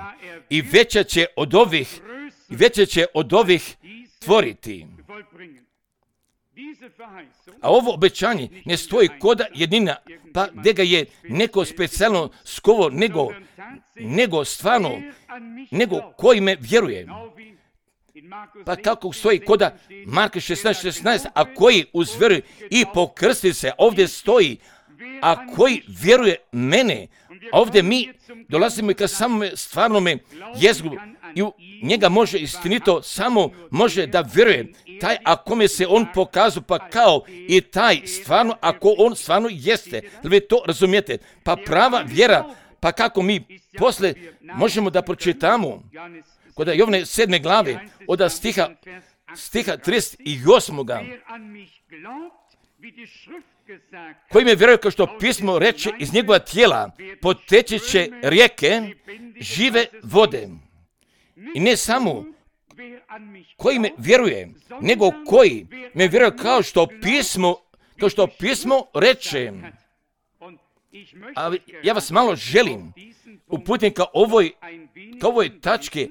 i veća će od ovih, i veća će od ovih tvoriti. A ovo obećanje ne stoji koda jednina, pa gdje ga je neko specijalno skovo, nego, nego stvarno, nego koji me vjeruje. Pa kako stoji koda Marka šesnaest šesnaest, a koji uzvjeruje i pokrsti se, ovdje stoji, a koji vjeruje mene, ovdje mi dolazimo i ka samome stvarnome jezgru i u njega može istinito samo može da vjeruje taj ako me se on pokazao, pa kao i taj stvarno ako on stvarno jeste. Da vi to razumijete? Pa prava vjera, pa kako mi posle možemo da pročitamo kod Jovne sedme glave od stiha, stiha trideset osam. Koji me vjeruje kao što pismo reče, iz njegova tijela poteći će rijeke žive vode. I ne samo koji me vjeruje, nego koji me vjeruje kao što pismo, kao što pismo reče. A ja vas malo želim uputiti ka ovoj, ka ovoj tački,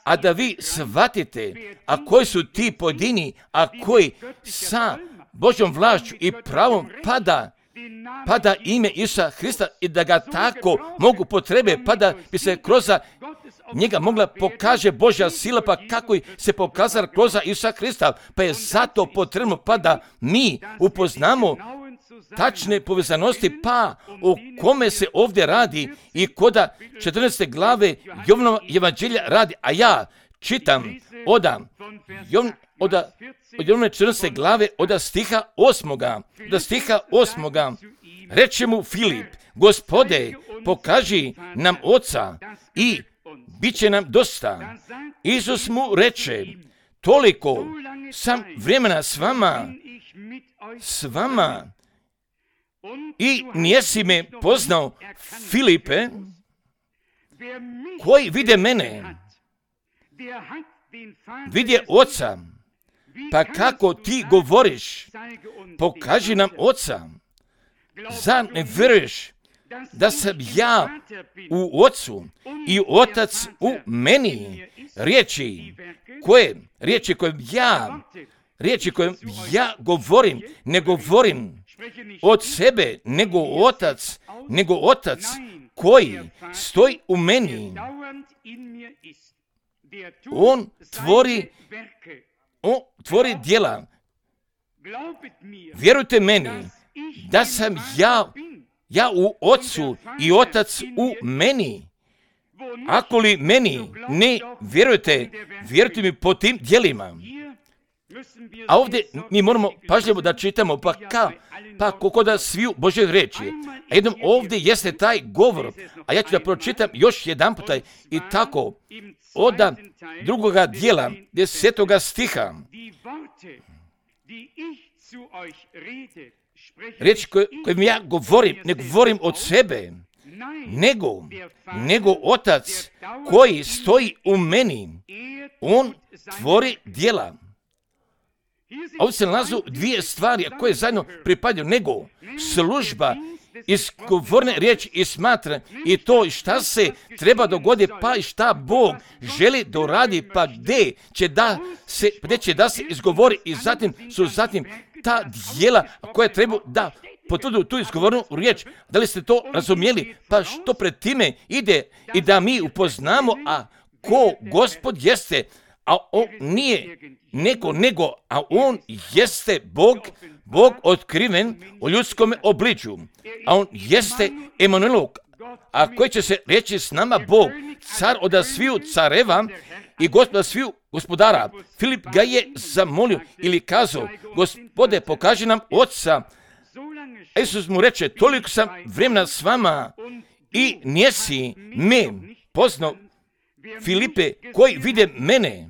a da vi shvatite, a koji su ti pojedini, a koji sa Božjom vlašću i pravom pada, pada ime Isusa Hrista i da ga tako mogu potrebe, pa da bi se kroz njega mogla pokaže Božja sila, pa kako se pokazala kroz Isusa Hrista, pa je zato potrebno pa da mi upoznamo tačne povezanosti, pa o kome se ovdje radi i koda četrnaeste glave Jovnova evanđelja radi, a ja čitam oda Jovn, oda od Jovne četrnaeste glave od stiha osmoga, od stiha osmoga, reče mu Filip, Gospode, pokaži nam Oca i bit će nam dosta. Isus mu reče, toliko sam vremena s vama, s vama, i nijesi me poznao, Filipe, koji vide mene, vidje Oca. Pa kako ti govoriš? Pokaži nam Oca. Zar ne vjeruješ da sam ja u Ocu i Otac u meni? Riječi koje, riječi koje ja, riječi koje ja govorim, ne govorim od sebe, nego Otac, nego Otac koji stoji u meni. On tvori, on tvori djela. Vjerujte meni da sam ja, ja u Ocu i Otac u meni. Ako li meni ne vjerujete, vjerujte mi po tim djelima. A ovdje mi moramo pažljivo da čitamo, pa ka, pa kako da sviju Božje riječi. A jednom ovdje jeste taj govor, a ja ću da pročitam još jedan puta i tako, od drugoga dijela, desetoga stiha. Riječ koje, kojim ja govorim, ne govorim od sebe, nego, nego Otac koji stoji u meni, on tvori djela. Ovdje se nalazu dvije stvari koje zajedno pripadaju, nego služba izgovorne riječi i smatra i to šta se treba dogoditi, pa i šta Bog želi da radi, pa gdje će da se, gdje će da se izgovori i zatim su zatim ta djela koja treba da potvrdu tu izgovornu riječ. Da li ste to razumijeli? Pa što pred time ide i da mi upoznamo, a ko Gospod jeste, a on nije neko nego, a on jeste Bog, Bog otkriven u ljudskom obličju, a on jeste Emanuel, a koji će se reći s nama Bog, car od sviju careva i gospod sviju gospodara. Filip ga je zamolio ili kazao, Gospode, pokaži nam Oca. A Isus mu reče, toliko sam vremena s vama i nisi me poznao, Filipe, koji vide mene,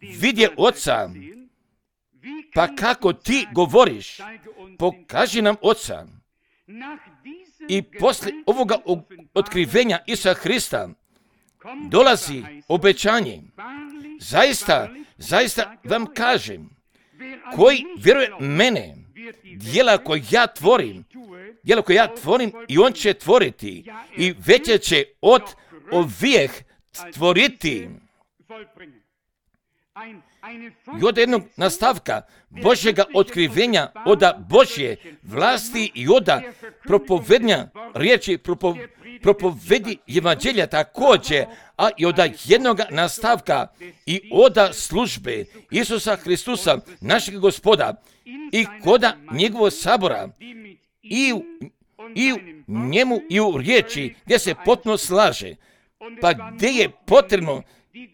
vidje Oca. Pa kako ti govoriš, pokaži nam Oca. I poslije ovoga otkrivenja Isusa Hrista dolazi obećanje. Zaista, zaista vam kažem, koji vjeruje mene, djela koje ja tvorim, djela koje ja tvorim i on će tvoriti i veće će od ovih tvoriti. I od jednog nastavka Božjega otkrivenja, od Božje vlasti i od propovednja riječi, propo, propovedi evanđelja također, a i od jednog nastavka i od službe Isusa Hristusa, našeg Gospoda, i koda njegovog sabora, i u, i u njemu i u riječi gdje se potpuno slaže, pa gdje je potrebno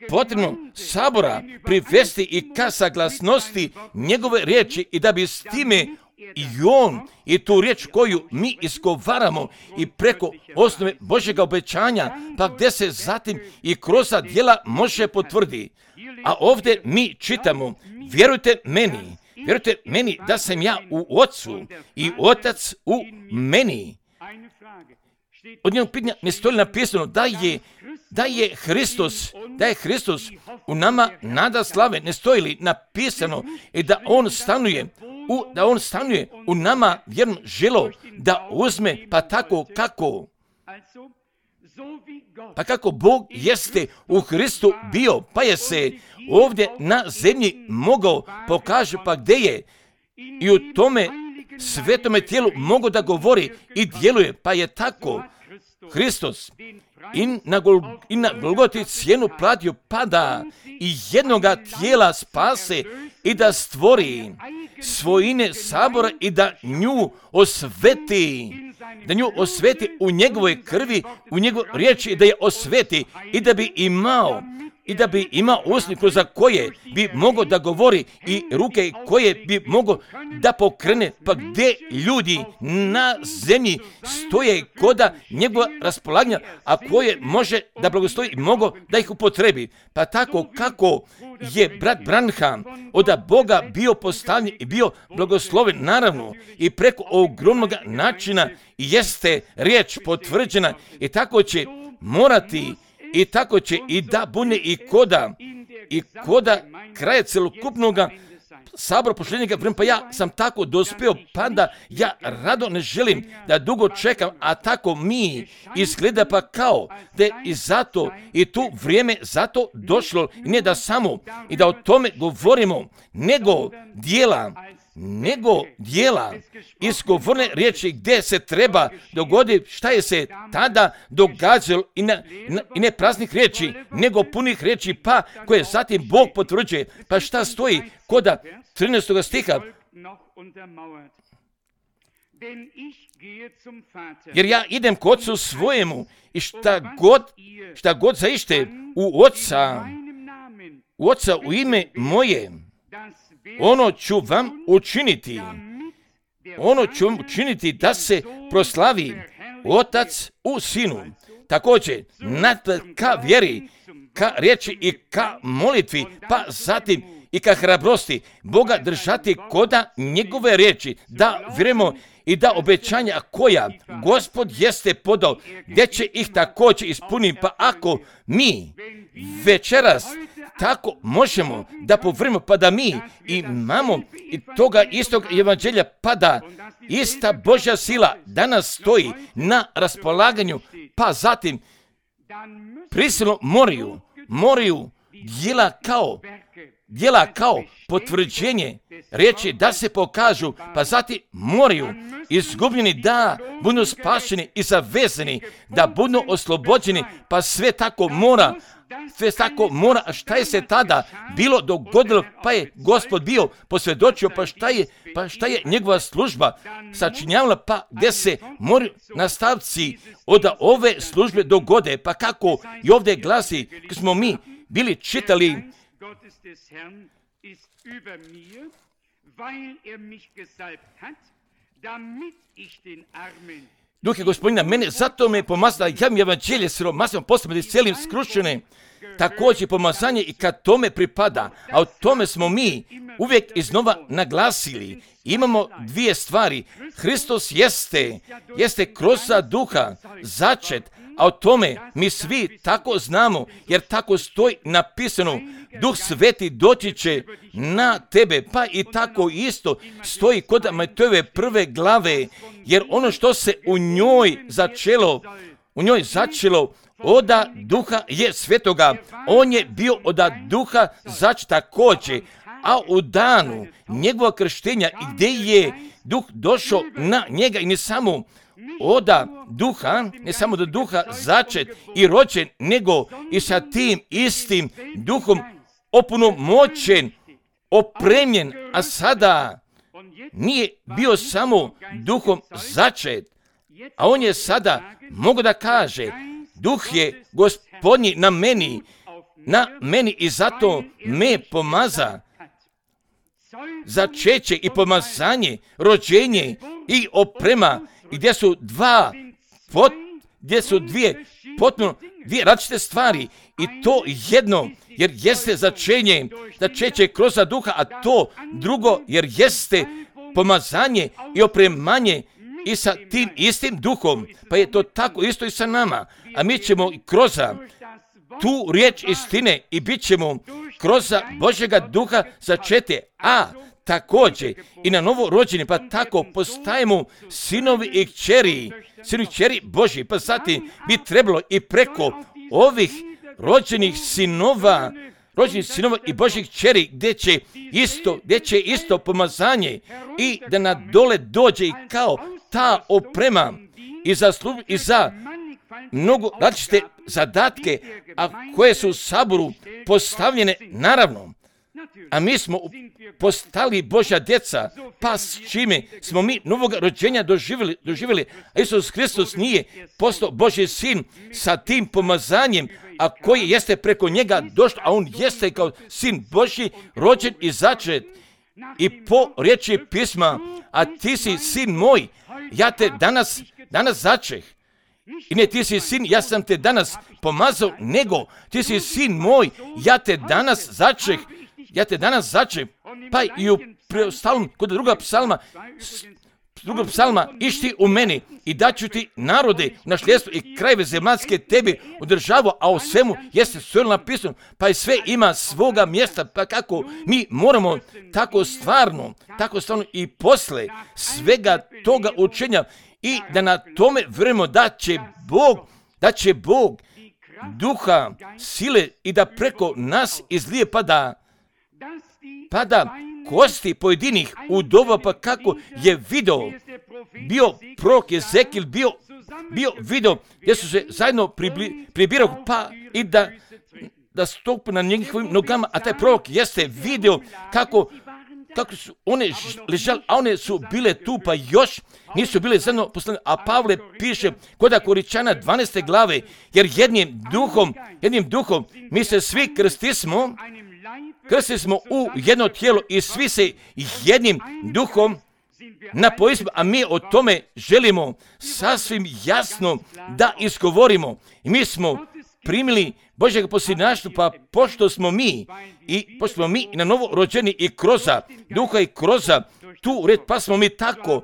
potrebno sabora privesti i ka saglasnosti njegove riječi i da bi s time i on i tu riječ koju mi izgovaramo i preko osnove Božjega obećanja, pa gdje se zatim i kroz djela može potvrdi. A ovdje mi čitamo, vjerujte meni, vjerujte meni da sam ja u Ocu i Otac u meni. Od njenog pitanja ne stoji napisano da je da je Hristos, da je Hristos u nama nada slave, ne stoji li napisano i da on stanuje u, da on stanuje u nama vjernom želo da uzme, pa tako kako pa kako Bog jeste u Hristu bio, pa je se ovdje na zemlji mogao pokaže, pa gdje je i u tome svetome tijelu mogu da govori i djeluje, pa je tako Hristos i na, Gol, i na Golgoti cijenu platio, pa da i jednoga tijela spase i da stvori svojine sabora i da nju osveti, da nju osveti u njegovoj krvi, u njegovoj riječi i da je osveti i da bi imao i da bi imao usni kroz koje bi mogao da govori i ruke koje bi mogao da pokrene, pa gdje ljudi na zemlji stoje koda njegova raspolaganja, a koje može da blagoslovi i mogo da ih upotrebi. Pa tako kako je brat Branham od Boga bio postavljen i bio blagosloven, naravno, i preko ogromnog načina jeste riječ potvrđena i tako će morati i tako će i da bude i koda i koda kraja celokupnoga sabora pošljenjega vremena, pa ja sam tako dospio, pa da ja rado ne želim da dugo čekam, a tako mi izgleda pa kao da je i zato i tu vrijeme zato došlo, i ne da samo i da o tome govorimo, nego dijela, nego dijela izgovorne riječi gdje se treba dogoditi, šta je se tada događalo i, na, na, i ne praznih riječi, nego punih riječi, pa koje zatim Bog potvrđuje. Pa šta stoji koda trinaestog stiha? Jer ja idem k Otcu svojemu i šta god, šta god zaište u Oca, u Oca u ime moje, ono ću vam učiniti. Ono ću vam učiniti da se proslavi Otac u Sinu. Također, napred ka vjeri, ka riječi i ka molitvi, pa zatim i ka hrabrosti Boga držati koda njegove riječi, da vjerujemo i da obećanja koja Gospod jeste podao, gdje će ih također ispuniti. Pa ako mi večeras tako možemo da povrimo, pa da mi imamo i toga istog evanđelja, pa da ista Božja sila danas stoji na raspolaganju, pa zatim prisilno moraju, moraju djela kao, djela kao potvrđenje riječi da se pokažu, pa zatim moraju izgubljeni da budu spašeni i zavezani, da budu oslobođeni, pa sve tako mora, sve tako mora. A šta je se tada bilo dogodilo, pa je Gospod bio posvjedočio, pa šta je, pa šta je njegova služba sačinjavala, pa gdje se moraju nastavci od ove službe dogode, pa kako i ovdje glasi, kako smo mi bili čitali, Duh je Gospodina mene, zato me pomazala, ja mi evanđelje siromasima posljedno cijelim skrušene, također pomazanje i kad tome pripada, a o tome smo mi uvijek iznova naglasili. Imamo dvije stvari. Hristos jeste, jeste kroz duha začet, a o tome mi svi tako znamo, jer tako stoji napisano, Duh Sveti doći će na tebe, pa i tako isto stoji kod Matejove prve glave, jer ono što se u njoj začelo, u njoj začelo oda Duha je Svetoga, on je bio oda Duha začet također, a u danu njegova krštenja i gdje je Duh došao na njega i ne samo oda Duha, ne samo do Duha začet i rođen, nego i sa tim istim Duhom opunomoćen, opremljen, a sada nije bio samo Duhom začet, a on je sada, mogu da kaže, Duh je Gospodnji na meni, na meni i zato me pomaza. Začeće i pomazanje, rođenje i oprema, gdje su dva, pot, gdje su dvije potpuno, dvije različite stvari i to jedno, jer jeste začenje, začeće kroz duha, a to drugo, jer jeste pomazanje i opremanje i sa tim istim duhom, pa je to tako isto i sa nama, a mi ćemo kroz tu riječ istine i bit ćemo kroz Božjega duha začete, a također i na novo rođeni, pa tako postajemo sinovi i kćeri, sinovi i kćeri Božji, pa zatim bi trebalo i preko ovih rođenih sinova, rođenih sinova i Božjih kćeri, gdje će isto, gdje će isto pomazanje i da na dole dođe i kao ta oprema i za službu i za mnogo različite zadatke, a koje su u saboru postavljene naravno. A mi smo postali Božja djeca, pa s čime smo mi novog rođenja doživjeli, doživjeli. A Isus Hristos nije postao Božji sin sa tim pomazanjem, a koji jeste preko njega došao, a on jeste kao sin Božji, rođen i začet. I po riječi pisma, a ti si sin moj, ja te danas, danas začeh. I ne ti si sin, ja sam te danas pomazao, nego ti si sin moj, ja te danas začeh. Ja te danas začem, pa i u preostalom, kod druga psalma, drugog psalma, išti u meni i daću ti narode, nasljedstvo i krajeve zemaljske tebi održavu, a o svemu jeste sve napisano, pa i sve ima svoga mjesta, pa kako mi moramo tako stvarno, tako stvarno i posle svega toga učenja i da na tome vjerujemo da će Bog, da će Bog duha, sile i da preko nas izlije pa da, pa da kosti pojedinih udova, pa kako je video, bio prorok Ezekil, bio, bio video gdje su se zajedno pribli, pribirali, pa i da, da stupu na njihovim nogama, a taj prorok jeste video kako, kako su one ležali, a one su bile tu, pa još nisu bile zajedno poslane, a Pavle piše kod Koričana dvanaeste glave, jer jednim duhom, jednim duhom mi se svi krstismo, krstili smo u jedno tijelo i svi se jednim duhom napojimo, a mi o tome želimo sasvim jasno da izgovorimo. I mi smo primili Božjeg posljednaštva, pa pošto smo mi i pošto smo mi na novo rođeni i kroza duha i kroza tu red, pa smo mi tako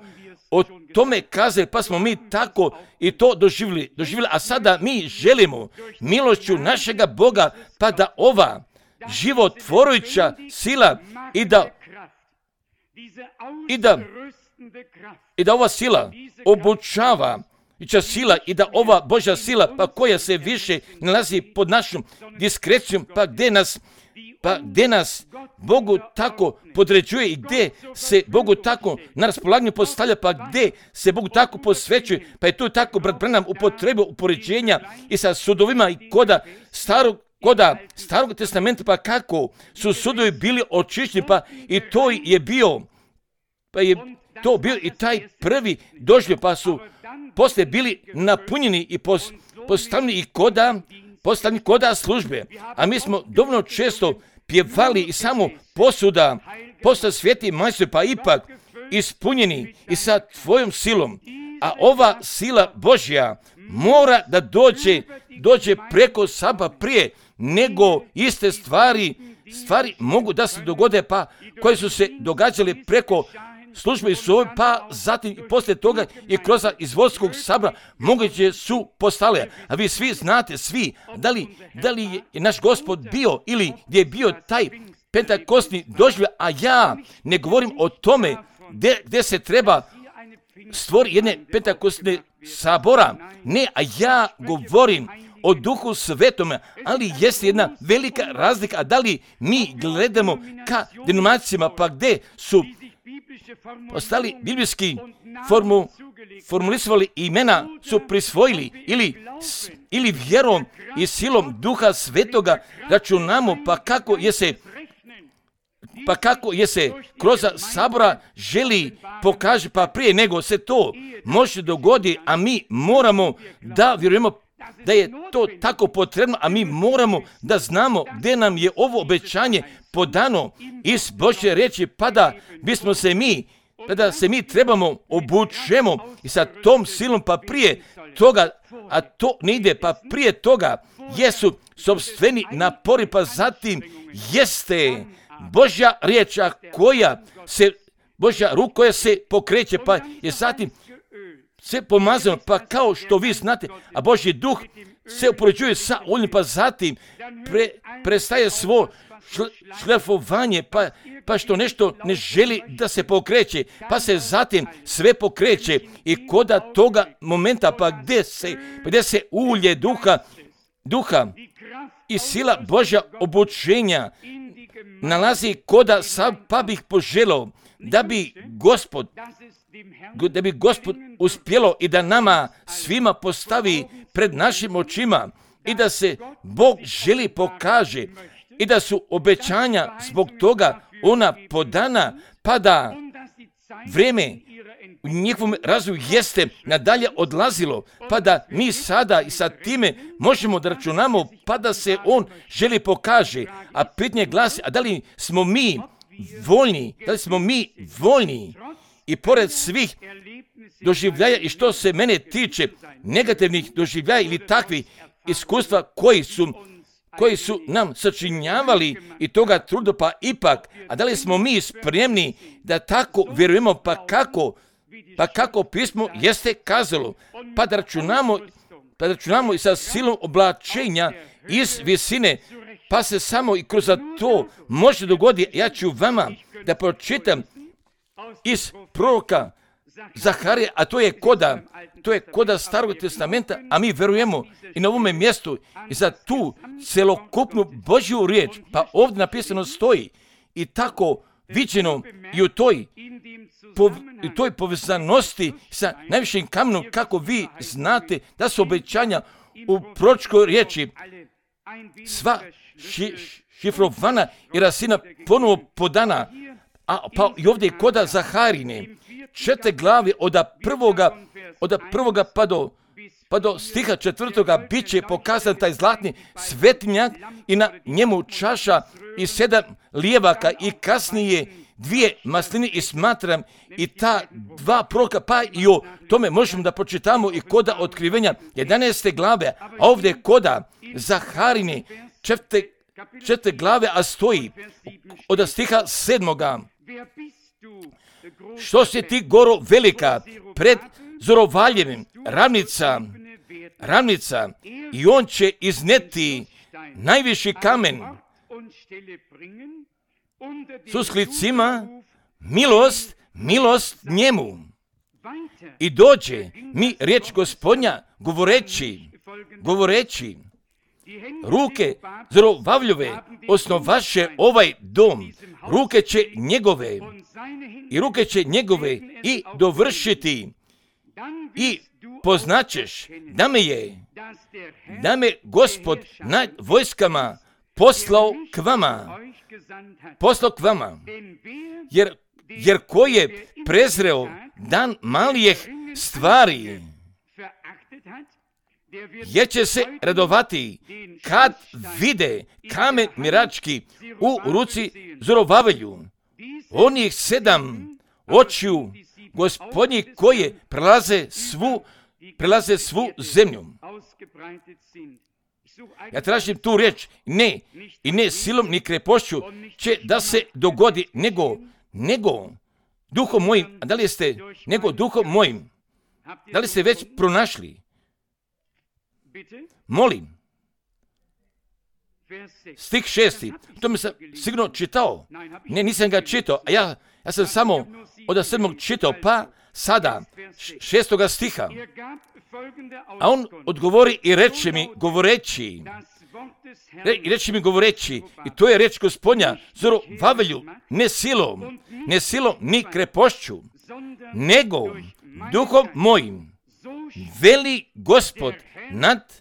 o tome kazali, pa smo mi tako i to doživjeli, doživjeli. A sada mi želimo milošću našega Boga, pa da ova životvorujuća sila i da i da i da ova sila obučava sila i da ova Božja sila, pa koja se više nalazi pod našom diskrecijom, pa gdje nas pa gdje nas Bogu tako podređuje i gdje se Bogu tako na raspolaganju postavlja, pa gdje se Bogu tako posvećuje, pa je tu tako brat Branham upotrebio upoređenja i sa sudovima i koda starog Koda starog testamenta, pa kako su sudovi bili očišćeni, pa i to je bio, pa je to bio i taj prvi doživljaj, pa su poslije bili napunjeni i pos, postavljeni i koda, postavljeni koda službe. A mi smo dovoljno često pjevali i samo posuda, posta sveti majstor, pa ipak ispunjeni i sa tvojom silom. A ova sila Božja mora da dođe, dođe preko saba prije nego iste stvari, stvari mogu da se dogode, pa koje su se događale preko službe i sove, pa zatim i poslije toga i kroz izvodskog sabora moguće su postale. A vi svi znate, svi, da li, da li je naš Gospod bio ili gdje je bio taj pentakostni doživljaj, a ja ne govorim o tome gdje, gdje se treba stvori jedne pentakostne sabora. Ne, a ja govorim o Duhu Svetome, ali jeste jedna velika razlika, a da li mi gledamo ka denominacijama, pa gdje su ostali biblijski formu, formulisovali imena, su prisvojili ili, ili vjerom i silom Duha Svetoga računamo, pa kako je se pa kako je se kroz sabora želi pokaže, pa prije nego se to može dogoditi, a mi moramo da vjerujemo da je to tako potrebno, a mi moramo da znamo gdje nam je ovo obećanje podano iz Božje riječi, pa da bismo se mi, pa da se mi trebamo obučemo i sa tom silom, pa prije toga, a to ne ide, pa prije toga jesu sopstveni napori, pa zatim jeste Božja riječ koja se, Božja ruka koja se pokreće, pa je zatim sve pomazano, pa kao što vi znate, a Božji duh se upoređuje sa oljem, pa zatim pre, prestaje svo šle, šlefovanje, pa, pa što nešto ne želi da se pokreće, pa se zatim sve pokreće i koda toga momenta, pa gdje se, pa gdje se ulje duha, duha i sila Božja obučenja nalazi koda sam, pa bih poželao da bi Gospod, da bi Gospod uspjelo i da nama svima postavi pred našim očima i da se Bog želi pokaže i da su obećanja zbog toga ona podana, pa da vrijeme u njihovom razvoju jeste nadalje odlazilo, pa da mi sada i sa time možemo da računamo, pa da se on želi pokaže. A pitanje glasi, a da li smo mi voljni, da li smo mi voljni i pored svih doživljaja i što se mene tiče negativnih doživljaja ili takvih iskustva koji su, koji su nam sačinjavali i toga truda, pa ipak, a da li smo mi spremni da tako vjerujemo, pa kako pa kako pismo jeste kazalo, pa da računamo, pa da računamo i sa silom oblačenja iz visine, pa se samo i kroz to može dogoditi. Ja ću vama da pročitam iz proroka Zaharije, a to je koda, to je koda Starog testamenta, a mi verujemo i na ovome mjestu i za tu celokupnu Božju riječ, pa ovdje napisano stoji i tako viđeno i u toj, po, u toj povezanosti sa najvišim kamenom, kako vi znate da su obećanja u proročkoj riječi sva ši, šifrovana i razina ponovo podana, a pa i ovdje koda Zaharine, četiri glave od prvoga, od prvoga pa do, pa do stiha četvrtoga bit će pokazan taj zlatni svetinjak i na njemu čaša i sedam lijevaka i kasnije dvije maslini i smatram i ta dva proroka, pa i o tome možemo da pročitamo i koda otkrivenja jedanaeste glave, a ovdje koda Zaharine četiri, četiri glave, a stoji od stiha sedmoga. Što si ti goro velika pred Zorovaljevim, ravnica, ravnica, i on će izneti najviši kamen s usklicima, milost, milost njemu. I dođe mi riječ Gospodnja govoreći, govoreći, ruke Zorovavljove osnovaše ovaj dom, ruke će njegove i ruke će njegove i dovršiti i poznaćeš da me je, da me Gospod nad vojskama poslao k vama, poslao k vama, jer, jer ko je prezreo dan malijih stvari, jer će se radovati kad vide kamen mirački u ruci Zorovavelju, onih sedam očiju Gospodnji koje prelaze svu, prelaze svu zemlju. Ja tražim tu riječ, ne, i ne silom ni krepošću će da se dogodi, nego, nego duhom mojim, a da li ste, nego duhom mojim, da li ste već pronašli? Molim. Stih šesti, to mi sam sigurno čitao. Ne, nisam ga čitao, a ja, ja sam samo od sedmog čitao, pa sada šestoga stiha. A on odgovori i reče mi, govoreći, re, i reče mi govoreći, i to je reč Gospodnja, Zorovavelju, ne silom, ne silom, ni krepošću, nego duhom mojim, veli Gospod nad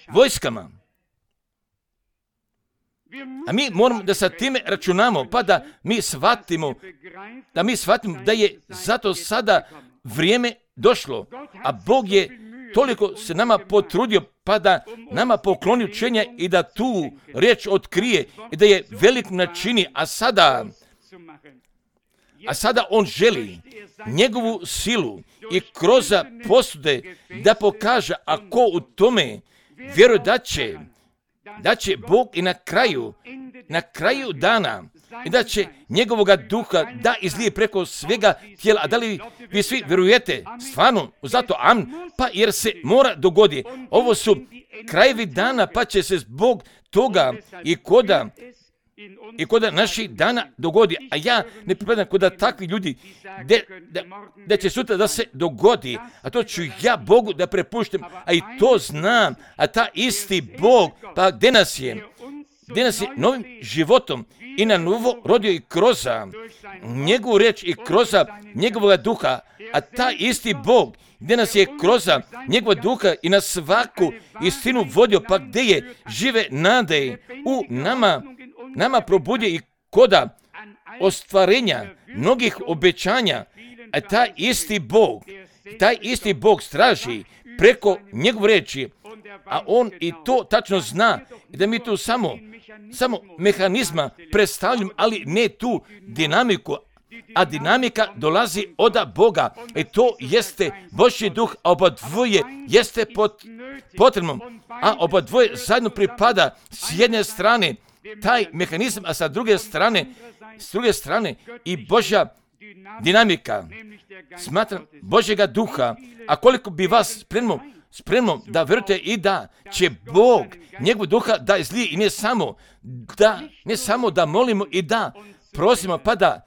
vojskama. A mi moramo da sa time računamo, pa da mi shvatimo, da mi shvatimo da je zato sada vrijeme došlo, a Bog je toliko se nama potrudio, pa da nama pokloni učenja i da tu riječ otkrije i da je velik načini, a sada, a sada on želi njegovu silu i kroz posude da pokaže, a ko u tome vjeruje da će, da će Bog i na kraju, na kraju dana, i da će njegovoga duha da izlije preko svega tijela. A da li vi svi vjerujete stvarno zato amen? Pa jer se mora dogoditi. Ovo su krajevi dana, pa će se zbog toga i koda i koda naših dana dogodi. A ja ne pripadam koda takvi ljudi de, da, da će sutra da se dogodi. A to ću ja Bogu da prepuštam. A i to znam. A ta isti Bog, pa gdje nas je? Gdje nas je novim životom i na novo rodio i kroz njegovu riječ i kroz njegovog duha, a ta isti Bog gdje nas je kroz njegova duha i na svaku istinu vodio, pa gdje je žive nade u nama, nama probudio i koda ostvarenja mnogih obećanja, a taj isti Bog, taj isti Bog straži preko njegove riječi, a on i to tačno zna i da mi tu samo samo mehanizma predstavljam, ali ne tu dinamiku, a dinamika dolazi od Boga. I to jeste Božji duh, a oba dvoje jeste pot, potrebno, a oba dvoje zajedno pripada s jedne strane taj mehanizam, a sa druge strane, s druge strane i Božja dinamika, smatram Božjega duha, a koliko bi vas spremno, spremno da vjerujete i da će Bog njegov duha da izlije i ne samo da, ne samo da molimo i da prosimo pa da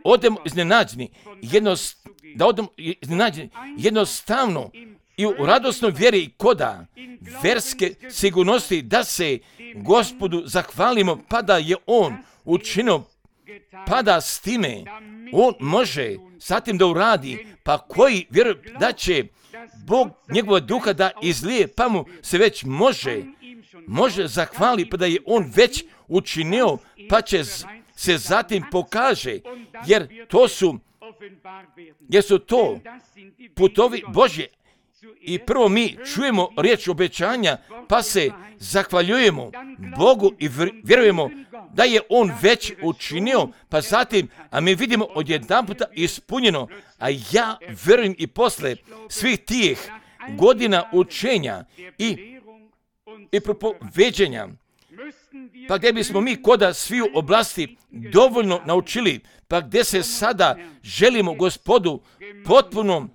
odemo iznenađeni, jednost, da odemo iznenađeni jednostavno i u radosnoj vjeri koda verske sigurnosti da se Gospodu zahvalimo pa da je On učinio pa da s time On može zatim da uradi, pa koji vjeruje da će Bog njegova duha da izlije, pa mu se već može, može zahvali, pa da je On već učinio, pa će se zatim pokaže, jer to su, jer su to putovi Božje. I prvo mi čujemo riječ obećanja, pa se zahvaljujemo Bogu i vjerujemo da je On već učinio, pa zatim, a mi vidimo odjedanputa ispunjeno, a ja vjerujem i posle svih tih godina učenja i, i propoveđenja, pa gdje bismo mi koda sviju oblasti dovoljno naučili, pa gdje se sada želimo Gospodu potpuno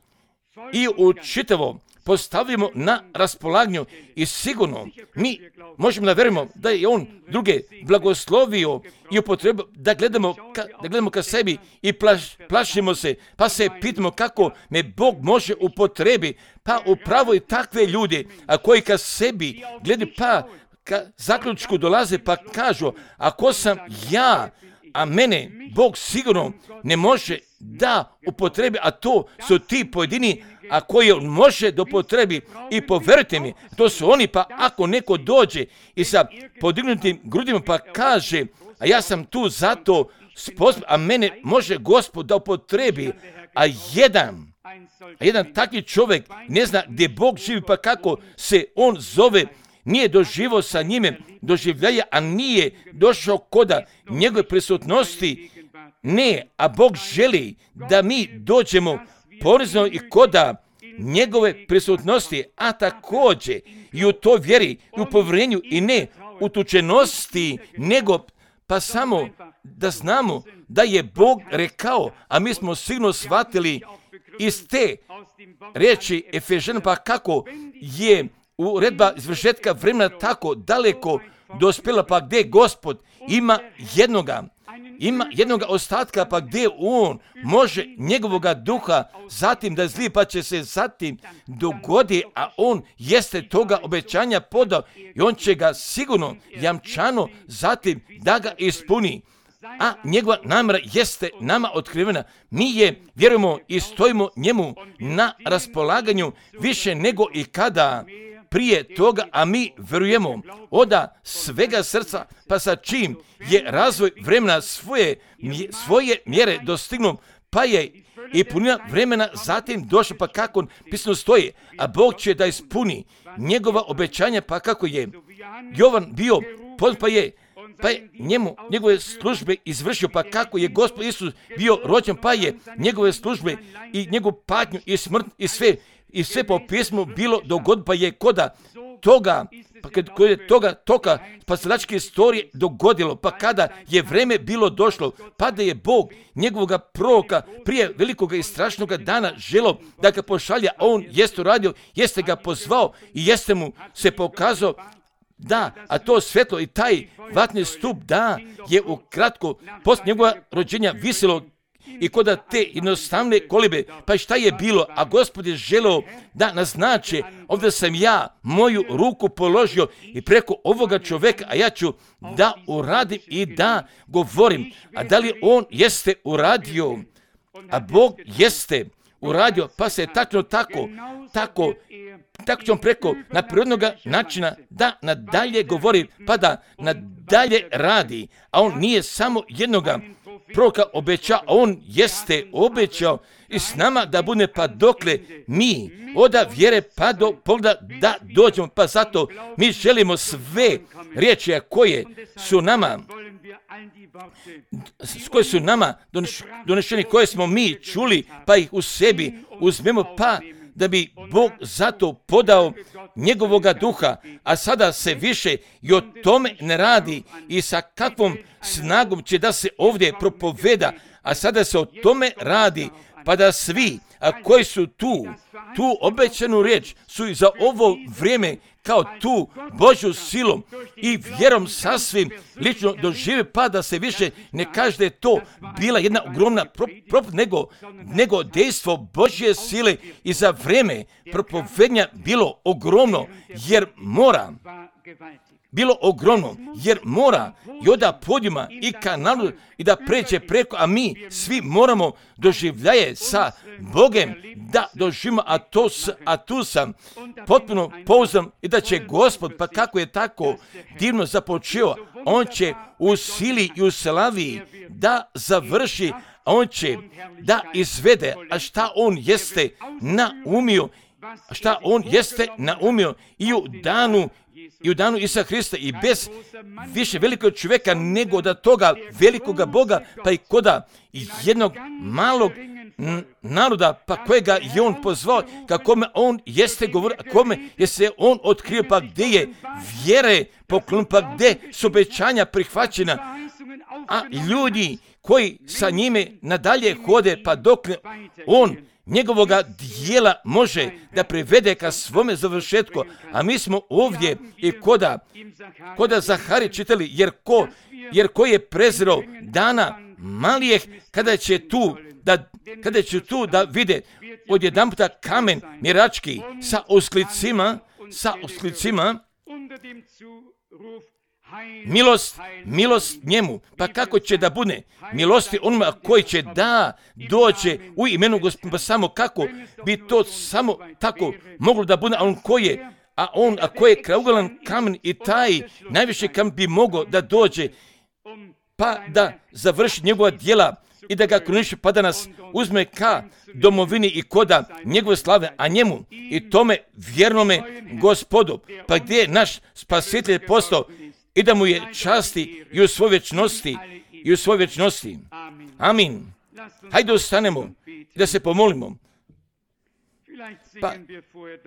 i učitavo postavimo na raspolaganju i sigurno mi možemo da vjerujemo da je On druge blagoslovio i upotrebio da gledamo ka, da gledamo ka sebi i plaš, plašimo se, pa se pitamo kako me Bog može upotrebi, pa upravo i takve ljude, a koji ka sebi gledaju, pa ka zaključku dolaze pa kažu, ako sam ja, a mene Bog sigurno ne može da upotrebi, a to su ti pojedini, a koji On može da upotrebi i povjerujte mi, to su oni, pa ako neko dođe i sa podignutim grudima pa kaže, a ja sam tu zato sposoban, a mene može Gospod da upotrebi, a jedan, a jedan takvi čovjek ne zna gdje Bog živi, pa kako se on zove, nije doživio sa njime doživljaja, a nije došao koda njegove prisutnosti, ne, a Bog želi da mi dođemo ponizno i koda njegove prisutnosti, a također i u toj vjeri, i u povjerenju i ne utučenosti, nego pa samo da znamo da je Bog rekao, a mi smo sigurno shvatili iz te riječi Efežana, pa kako je uredba izvršetka vremena tako daleko dospjela, pa gdje Gospod ima jednoga, ima jednoga ostatka, pa gdje On može njegovoga duha zatim da zli, pa će se zatim dogodi, a On jeste toga obećanja podao i On će ga sigurno jamčano zatim da ga ispuni. A njegova namjera jeste nama otkrivena. Mi je vjerujemo i stojimo njemu na raspolaganju više nego i kada prije toga, a mi vjerujemo oda svega srca, pa sa čim je razvoj vremena svoje, svoje mjere dostignuo, pa je i punina vremena zatim došla, pa kako pisano stoji, a Bog će da ispuni njegova obećanja, pa kako je Jovan bio, pa je pa je njemu, njegove službe izvršio, pa kako je Gospod Isus bio rođen, pa je njegove službe i njegovu patnju i smrt i sve, i sve po pismu bilo dogod, pa je koda toga, pa kad je toga toka spasilačke istorije dogodilo, pa kada je vreme bilo došlo, pa da je Bog njegovoga proroka prije velikoga i strašnoga dana želo da ga pošalja, a on jeste uradio, jeste ga pozvao i jeste mu se pokazao. Da, a to svjetlo i taj vatni stup, da, je ukratko poslije njegova rođenja visilo i koda te jednostavne kolibe, pa šta je bilo, a Gospod je želeo da naznače, ovdje sam ja moju ruku položio i preko ovoga čovjeka, a ja ću da uradim i da govorim. A da li on jeste uradio, a Bog jeste uradio, pa se tačno tako, tako, tako će on preko na prirodnog načina da nadalje govori, pa da nadalje radi, a on nije samo jednoga proroka obećao, a on jeste obećao i s nama da bude, pa dokle mi oda vjere pa do pogleda da dođemo, pa zato mi želimo sve riječi koje su nama koje su nama donešeni, koje smo mi čuli, pa ih u sebi uzmemo, pa da bi Bog zato podao njegovoga duha, a sada se više i o tome ne radi i sa kakvom snagom će da se ovdje propoveda, A sada se o tome radi, pa da svi, a koji su tu, tu obećanu riječ su i za ovo vrijeme kao tu Božju silom i vjerom sasvim lično dožive, pa da se više ne kaže da je to bila jedna ogromna propast, nego, nego dejstvo Božje sile i za vrijeme propovednja bilo ogromno, jer mora, bilo ogromno, jer mora i oda podijuma i kanalu i da pređe preko, a mi svi moramo doživljaje sa Bogem da doživimo, a, to, a tu sam potpuno pouzdan i da će Gospod, pa kako je tako divno započeo, on će u sili i u slavi da završi, a on će da izvede, a šta on jeste naumio, šta on jeste naumio i u danu i u danu Isusa Hrista i bez više velikog čovjeka nego da toga velikoga Boga, pa i koda jednog malog naroda, pa kojega je on pozvao, kakome on jeste govorio, kome je se on otkrio, pa gdje je vjere poklon, pa gdje su obećanja prihvaćena, a ljudi koji sa njime nadalje hode, pa dok on njegovoga dijela može da privede ka svome završetku, a mi smo ovdje i koda, koda Zahari čitali, jer ko, jer ko je prezirao dana malijeh, kada će tu da, kada će tu da vide odjedanputa kamen mirački sa osklicima, sa osklicima, milost, milost njemu, pa kako će da bude milosti onima koji će da dođe u imenu Gospoda, samo kako bi to samo tako moglo da bude, a on koji je, a on, a koji je kraugalan kamen i taj najviše kamen bi mogao da dođe, pa da završi njegova djela i da ga kruniše, pa da nas uzme ka domovini i koda njegove slave, a njemu i tome vjernome Gospodu, pa gdje je naš spasitelj postao, i da mu je časti i u svoj vječnosti, i u svoj vječnosti. Amin. Hajde ostanemo da se pomolimo. Pa,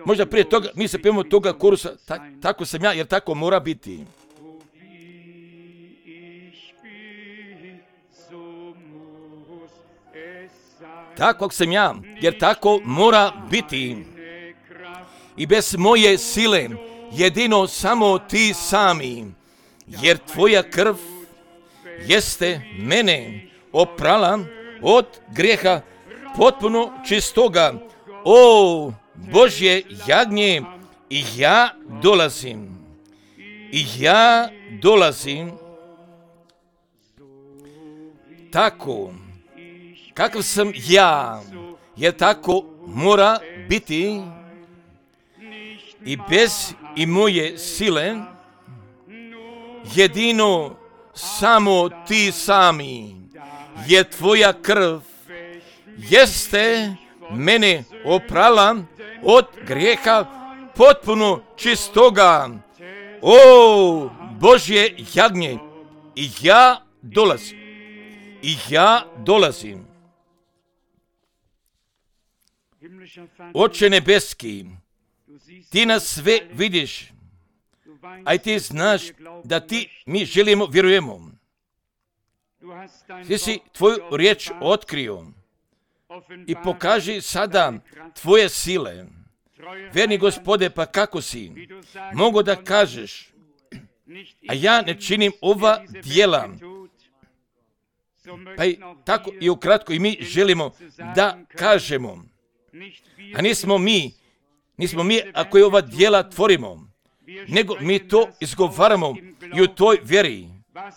možda prije toga, mi se pijemo toga korusa, ta, tako sam ja, jer tako mora biti. Tako sam ja, jer tako mora biti. I bez moje sile, jedino samo ti sami, jer tvoja krv jeste mene oprala od grijeha potpuno čistoga. O Božje jagnje, i ja dolazim, i ja dolazim tako kakav sam ja, jer tako mora biti i bez i moje sile, jedino samo ti sami, jer tvoja krv jeste mene oprala od grijeha potpuno čistoga. O Božje jagnje, i ja dolazim, i ja dolazim. Oče nebeski, ti nas sve vidiš, a i ti znaš da ti mi želimo, vjerujemo. Ti si tvoju riječ otkrio i pokaži sada tvoje sile. Verni Gospode, pa kako si mogu da kažeš, a ja ne činim ova djela. Pa i tako i ukratko i mi želimo da kažemo, a nismo mi, nismo mi ako je ova djela tvorimo, nego mi to izgovaramo i u toj vjeri.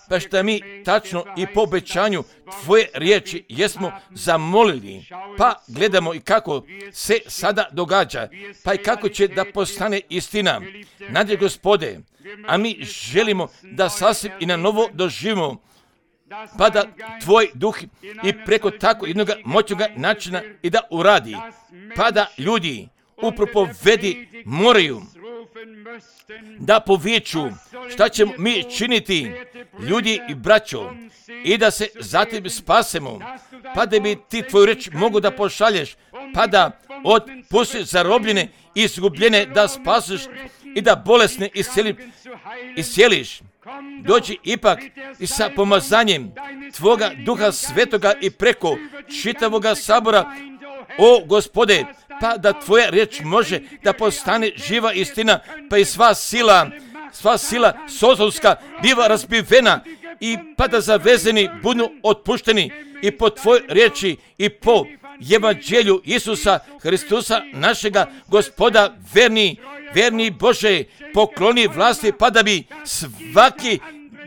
Pa šta mi tačno i po obećanju tvoje riječi jesmo zamolili, pa gledamo i kako se sada događa, pa i kako će da postane istina. Nadje Gospode, a mi želimo da sasvim i na novo doživimo, pa da tvoj duh i preko tako jednog moćnog načina i da uradi, pa da ljudi u propovedi moraju da poviču šta ćemo mi činiti, ljudi i braćo, i da se zatim spasemo, pa da bi ti tvoju reč mogu da pošalješ, pa da otpustiš zarobljene i izgubljene da spasiš i da bolesne iscijeliš. dođi ipak i sa pomazanjem Tvoga Duha Svetoga i preko čitavoga sabora, o Gospode, pa da Tvoja riječ može da postane živa istina, pa i sva sila, sva sila sotonska biva razbivena i pa da zavezeni budu otpušteni i po Tvojoj riječi i po evanđelju Isusa Hristusa, našega Gospoda, verni, verni Bože, pokloni vlasti, pa da bi svaki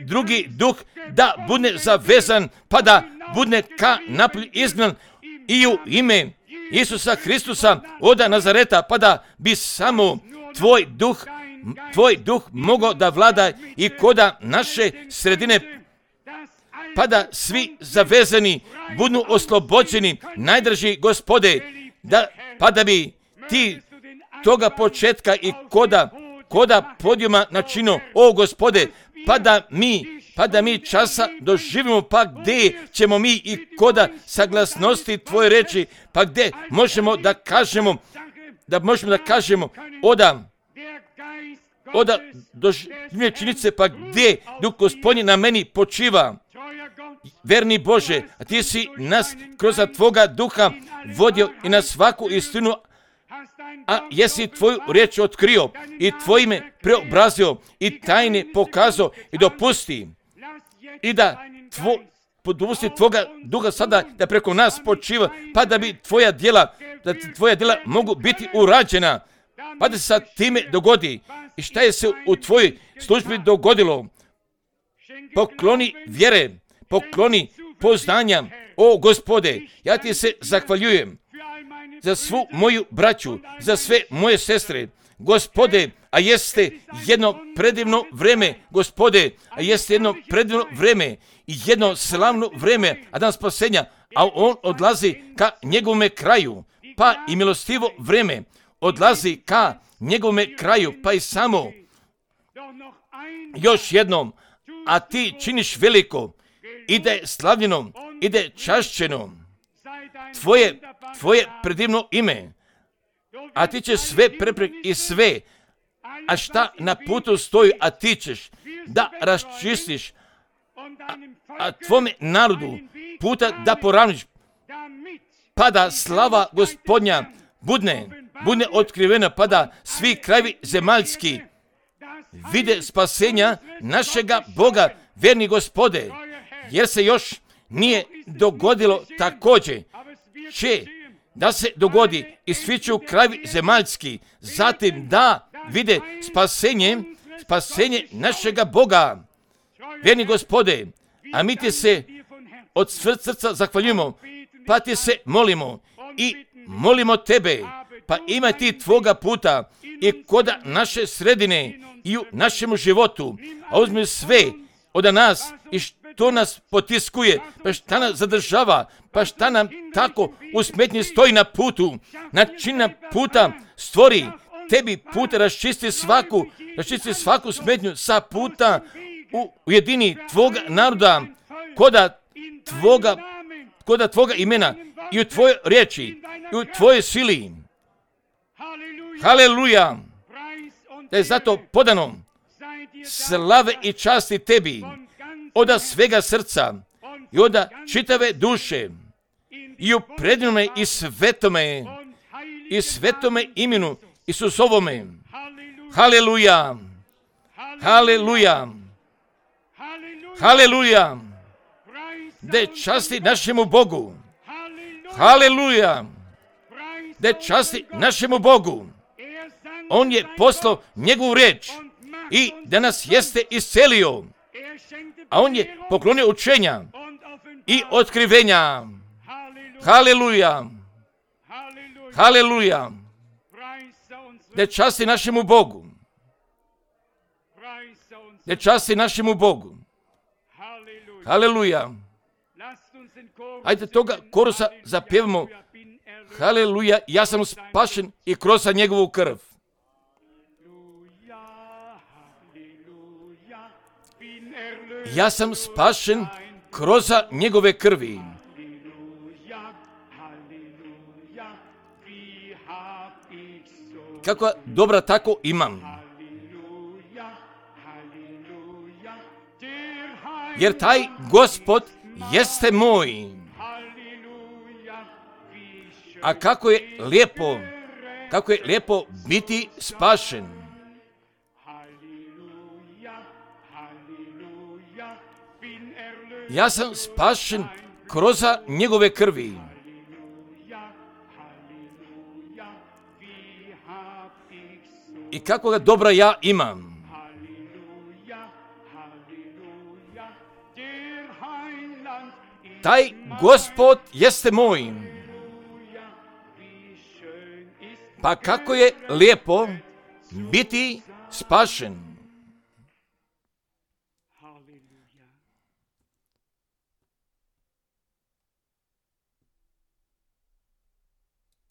drugi duh da bude zavezan, pa da bude ka napolju izgnan i u ime Isusa Hristusa oda Nazareta, pa da bi samo Tvoj duh, Tvoj duh mogao da vlada i koda naše sredine, pa da svi zavezani budu oslobođeni, najdraži Gospode, da, pa da bi ti toga početka i koda, koda podijuma načino, o Gospode, pa da mi, pa da mi časa doživimo, pa gdje ćemo mi i koda saglasnosti Tvoje reči, pa gdje možemo da kažemo, da možemo da kažemo, oda, oda doživljenje činjenice, pa gdje Duh Gospodnji na meni počiva. Verni Bože, a Ti si nas kroz Tvoga Duha vodio i na svaku istinu, a jesi Tvoju riječ otkrio i Tvojime preobrazio i tajne pokazao i dopusti i da tvo, dopusti Tvoga Duha sada da preko nas počiva, pa da bi Tvoja djela, da Tvoja djela mogu biti urađena, pa da se sa time dogodi. I šta je se u Tvojoj službi dogodilo? Pokloni vjere, pokloni poznanja, o Gospode, ja Ti se zahvaljujem za svu moju braću, za sve moje sestre, Gospode, a jeste jedno predivno vreme, Gospode, a jeste jedno predivno vreme i jedno slavno vreme, a dan spasenja, a on odlazi ka njegovome kraju, pa i milostivo vreme odlazi ka njegovome kraju, pa i samo još jednom, a Ti činiš veliko, ide slavljeno, ide čašćeno, Tvoje, tvoje predivno ime, a Ti ćeš sve prepreke i sve, a šta na putu stoji, a Ti ćeš da raščistiš, a, a Tvome narodu puta da poravniš, pa da slava Gospodnja budne, budne otkrivena, pa da svi krajevi zemaljski vide spasenja našega Boga, verni Gospode, jer se još nije dogodilo također, će da se dogodi i svi će u krajevi zemaljski, zatim da vide spasenje, spasenje našega Boga, verni Gospode, a mi Ti se od srca zahvaljujemo, pa Ti se molimo i molimo Tebe, pa ima Ti Tvoga puta i koda naše sredine i u našem životu, a uzmi sve od nas i što nas potiskuje, pa šta nas zadržava, pa šta nam tako u smetnji stoji na putu, načina puta stvori, Tebi puta raščisti svaku, raščisti svaku smetnju sa puta u ujedini Tvoga naroda, koda Tvoga, koda Tvoga imena i u Tvojoj riječi i u Tvojoj sili. Haleluja! Da je zato podano slave i časti Tebi od svega srca i od čitave duše i u predivnome i svetome i svetome imenu Isusovome. Haleluja! Haleluja! Haleluja! Da časti našemu Bogu. Haleluja! Da časti našemu Bogu. On je poslao njegovu riječ i da nas jeste iscelio, a on je poklonio učenja i otkrivenja. Haleluja! Haleluja! Da časti našemu Bogu. Da časti našemu Bogu. Haleluja! Hajde toga korusa zapjevamo. Haleluja, ja sam spašen i kroz njegovu krv. Ja sam spašen kroz njegove krvi. Kakva dobra tako imam. jer taj Gospod jeste moj. A kako je lijepo, kako je lijepo biti spašen. Ja sam spašen kroz njegove krvi. I kako ga dobra ja imam. Taj Gospod jeste moj. Pa kako je lijepo biti spašen.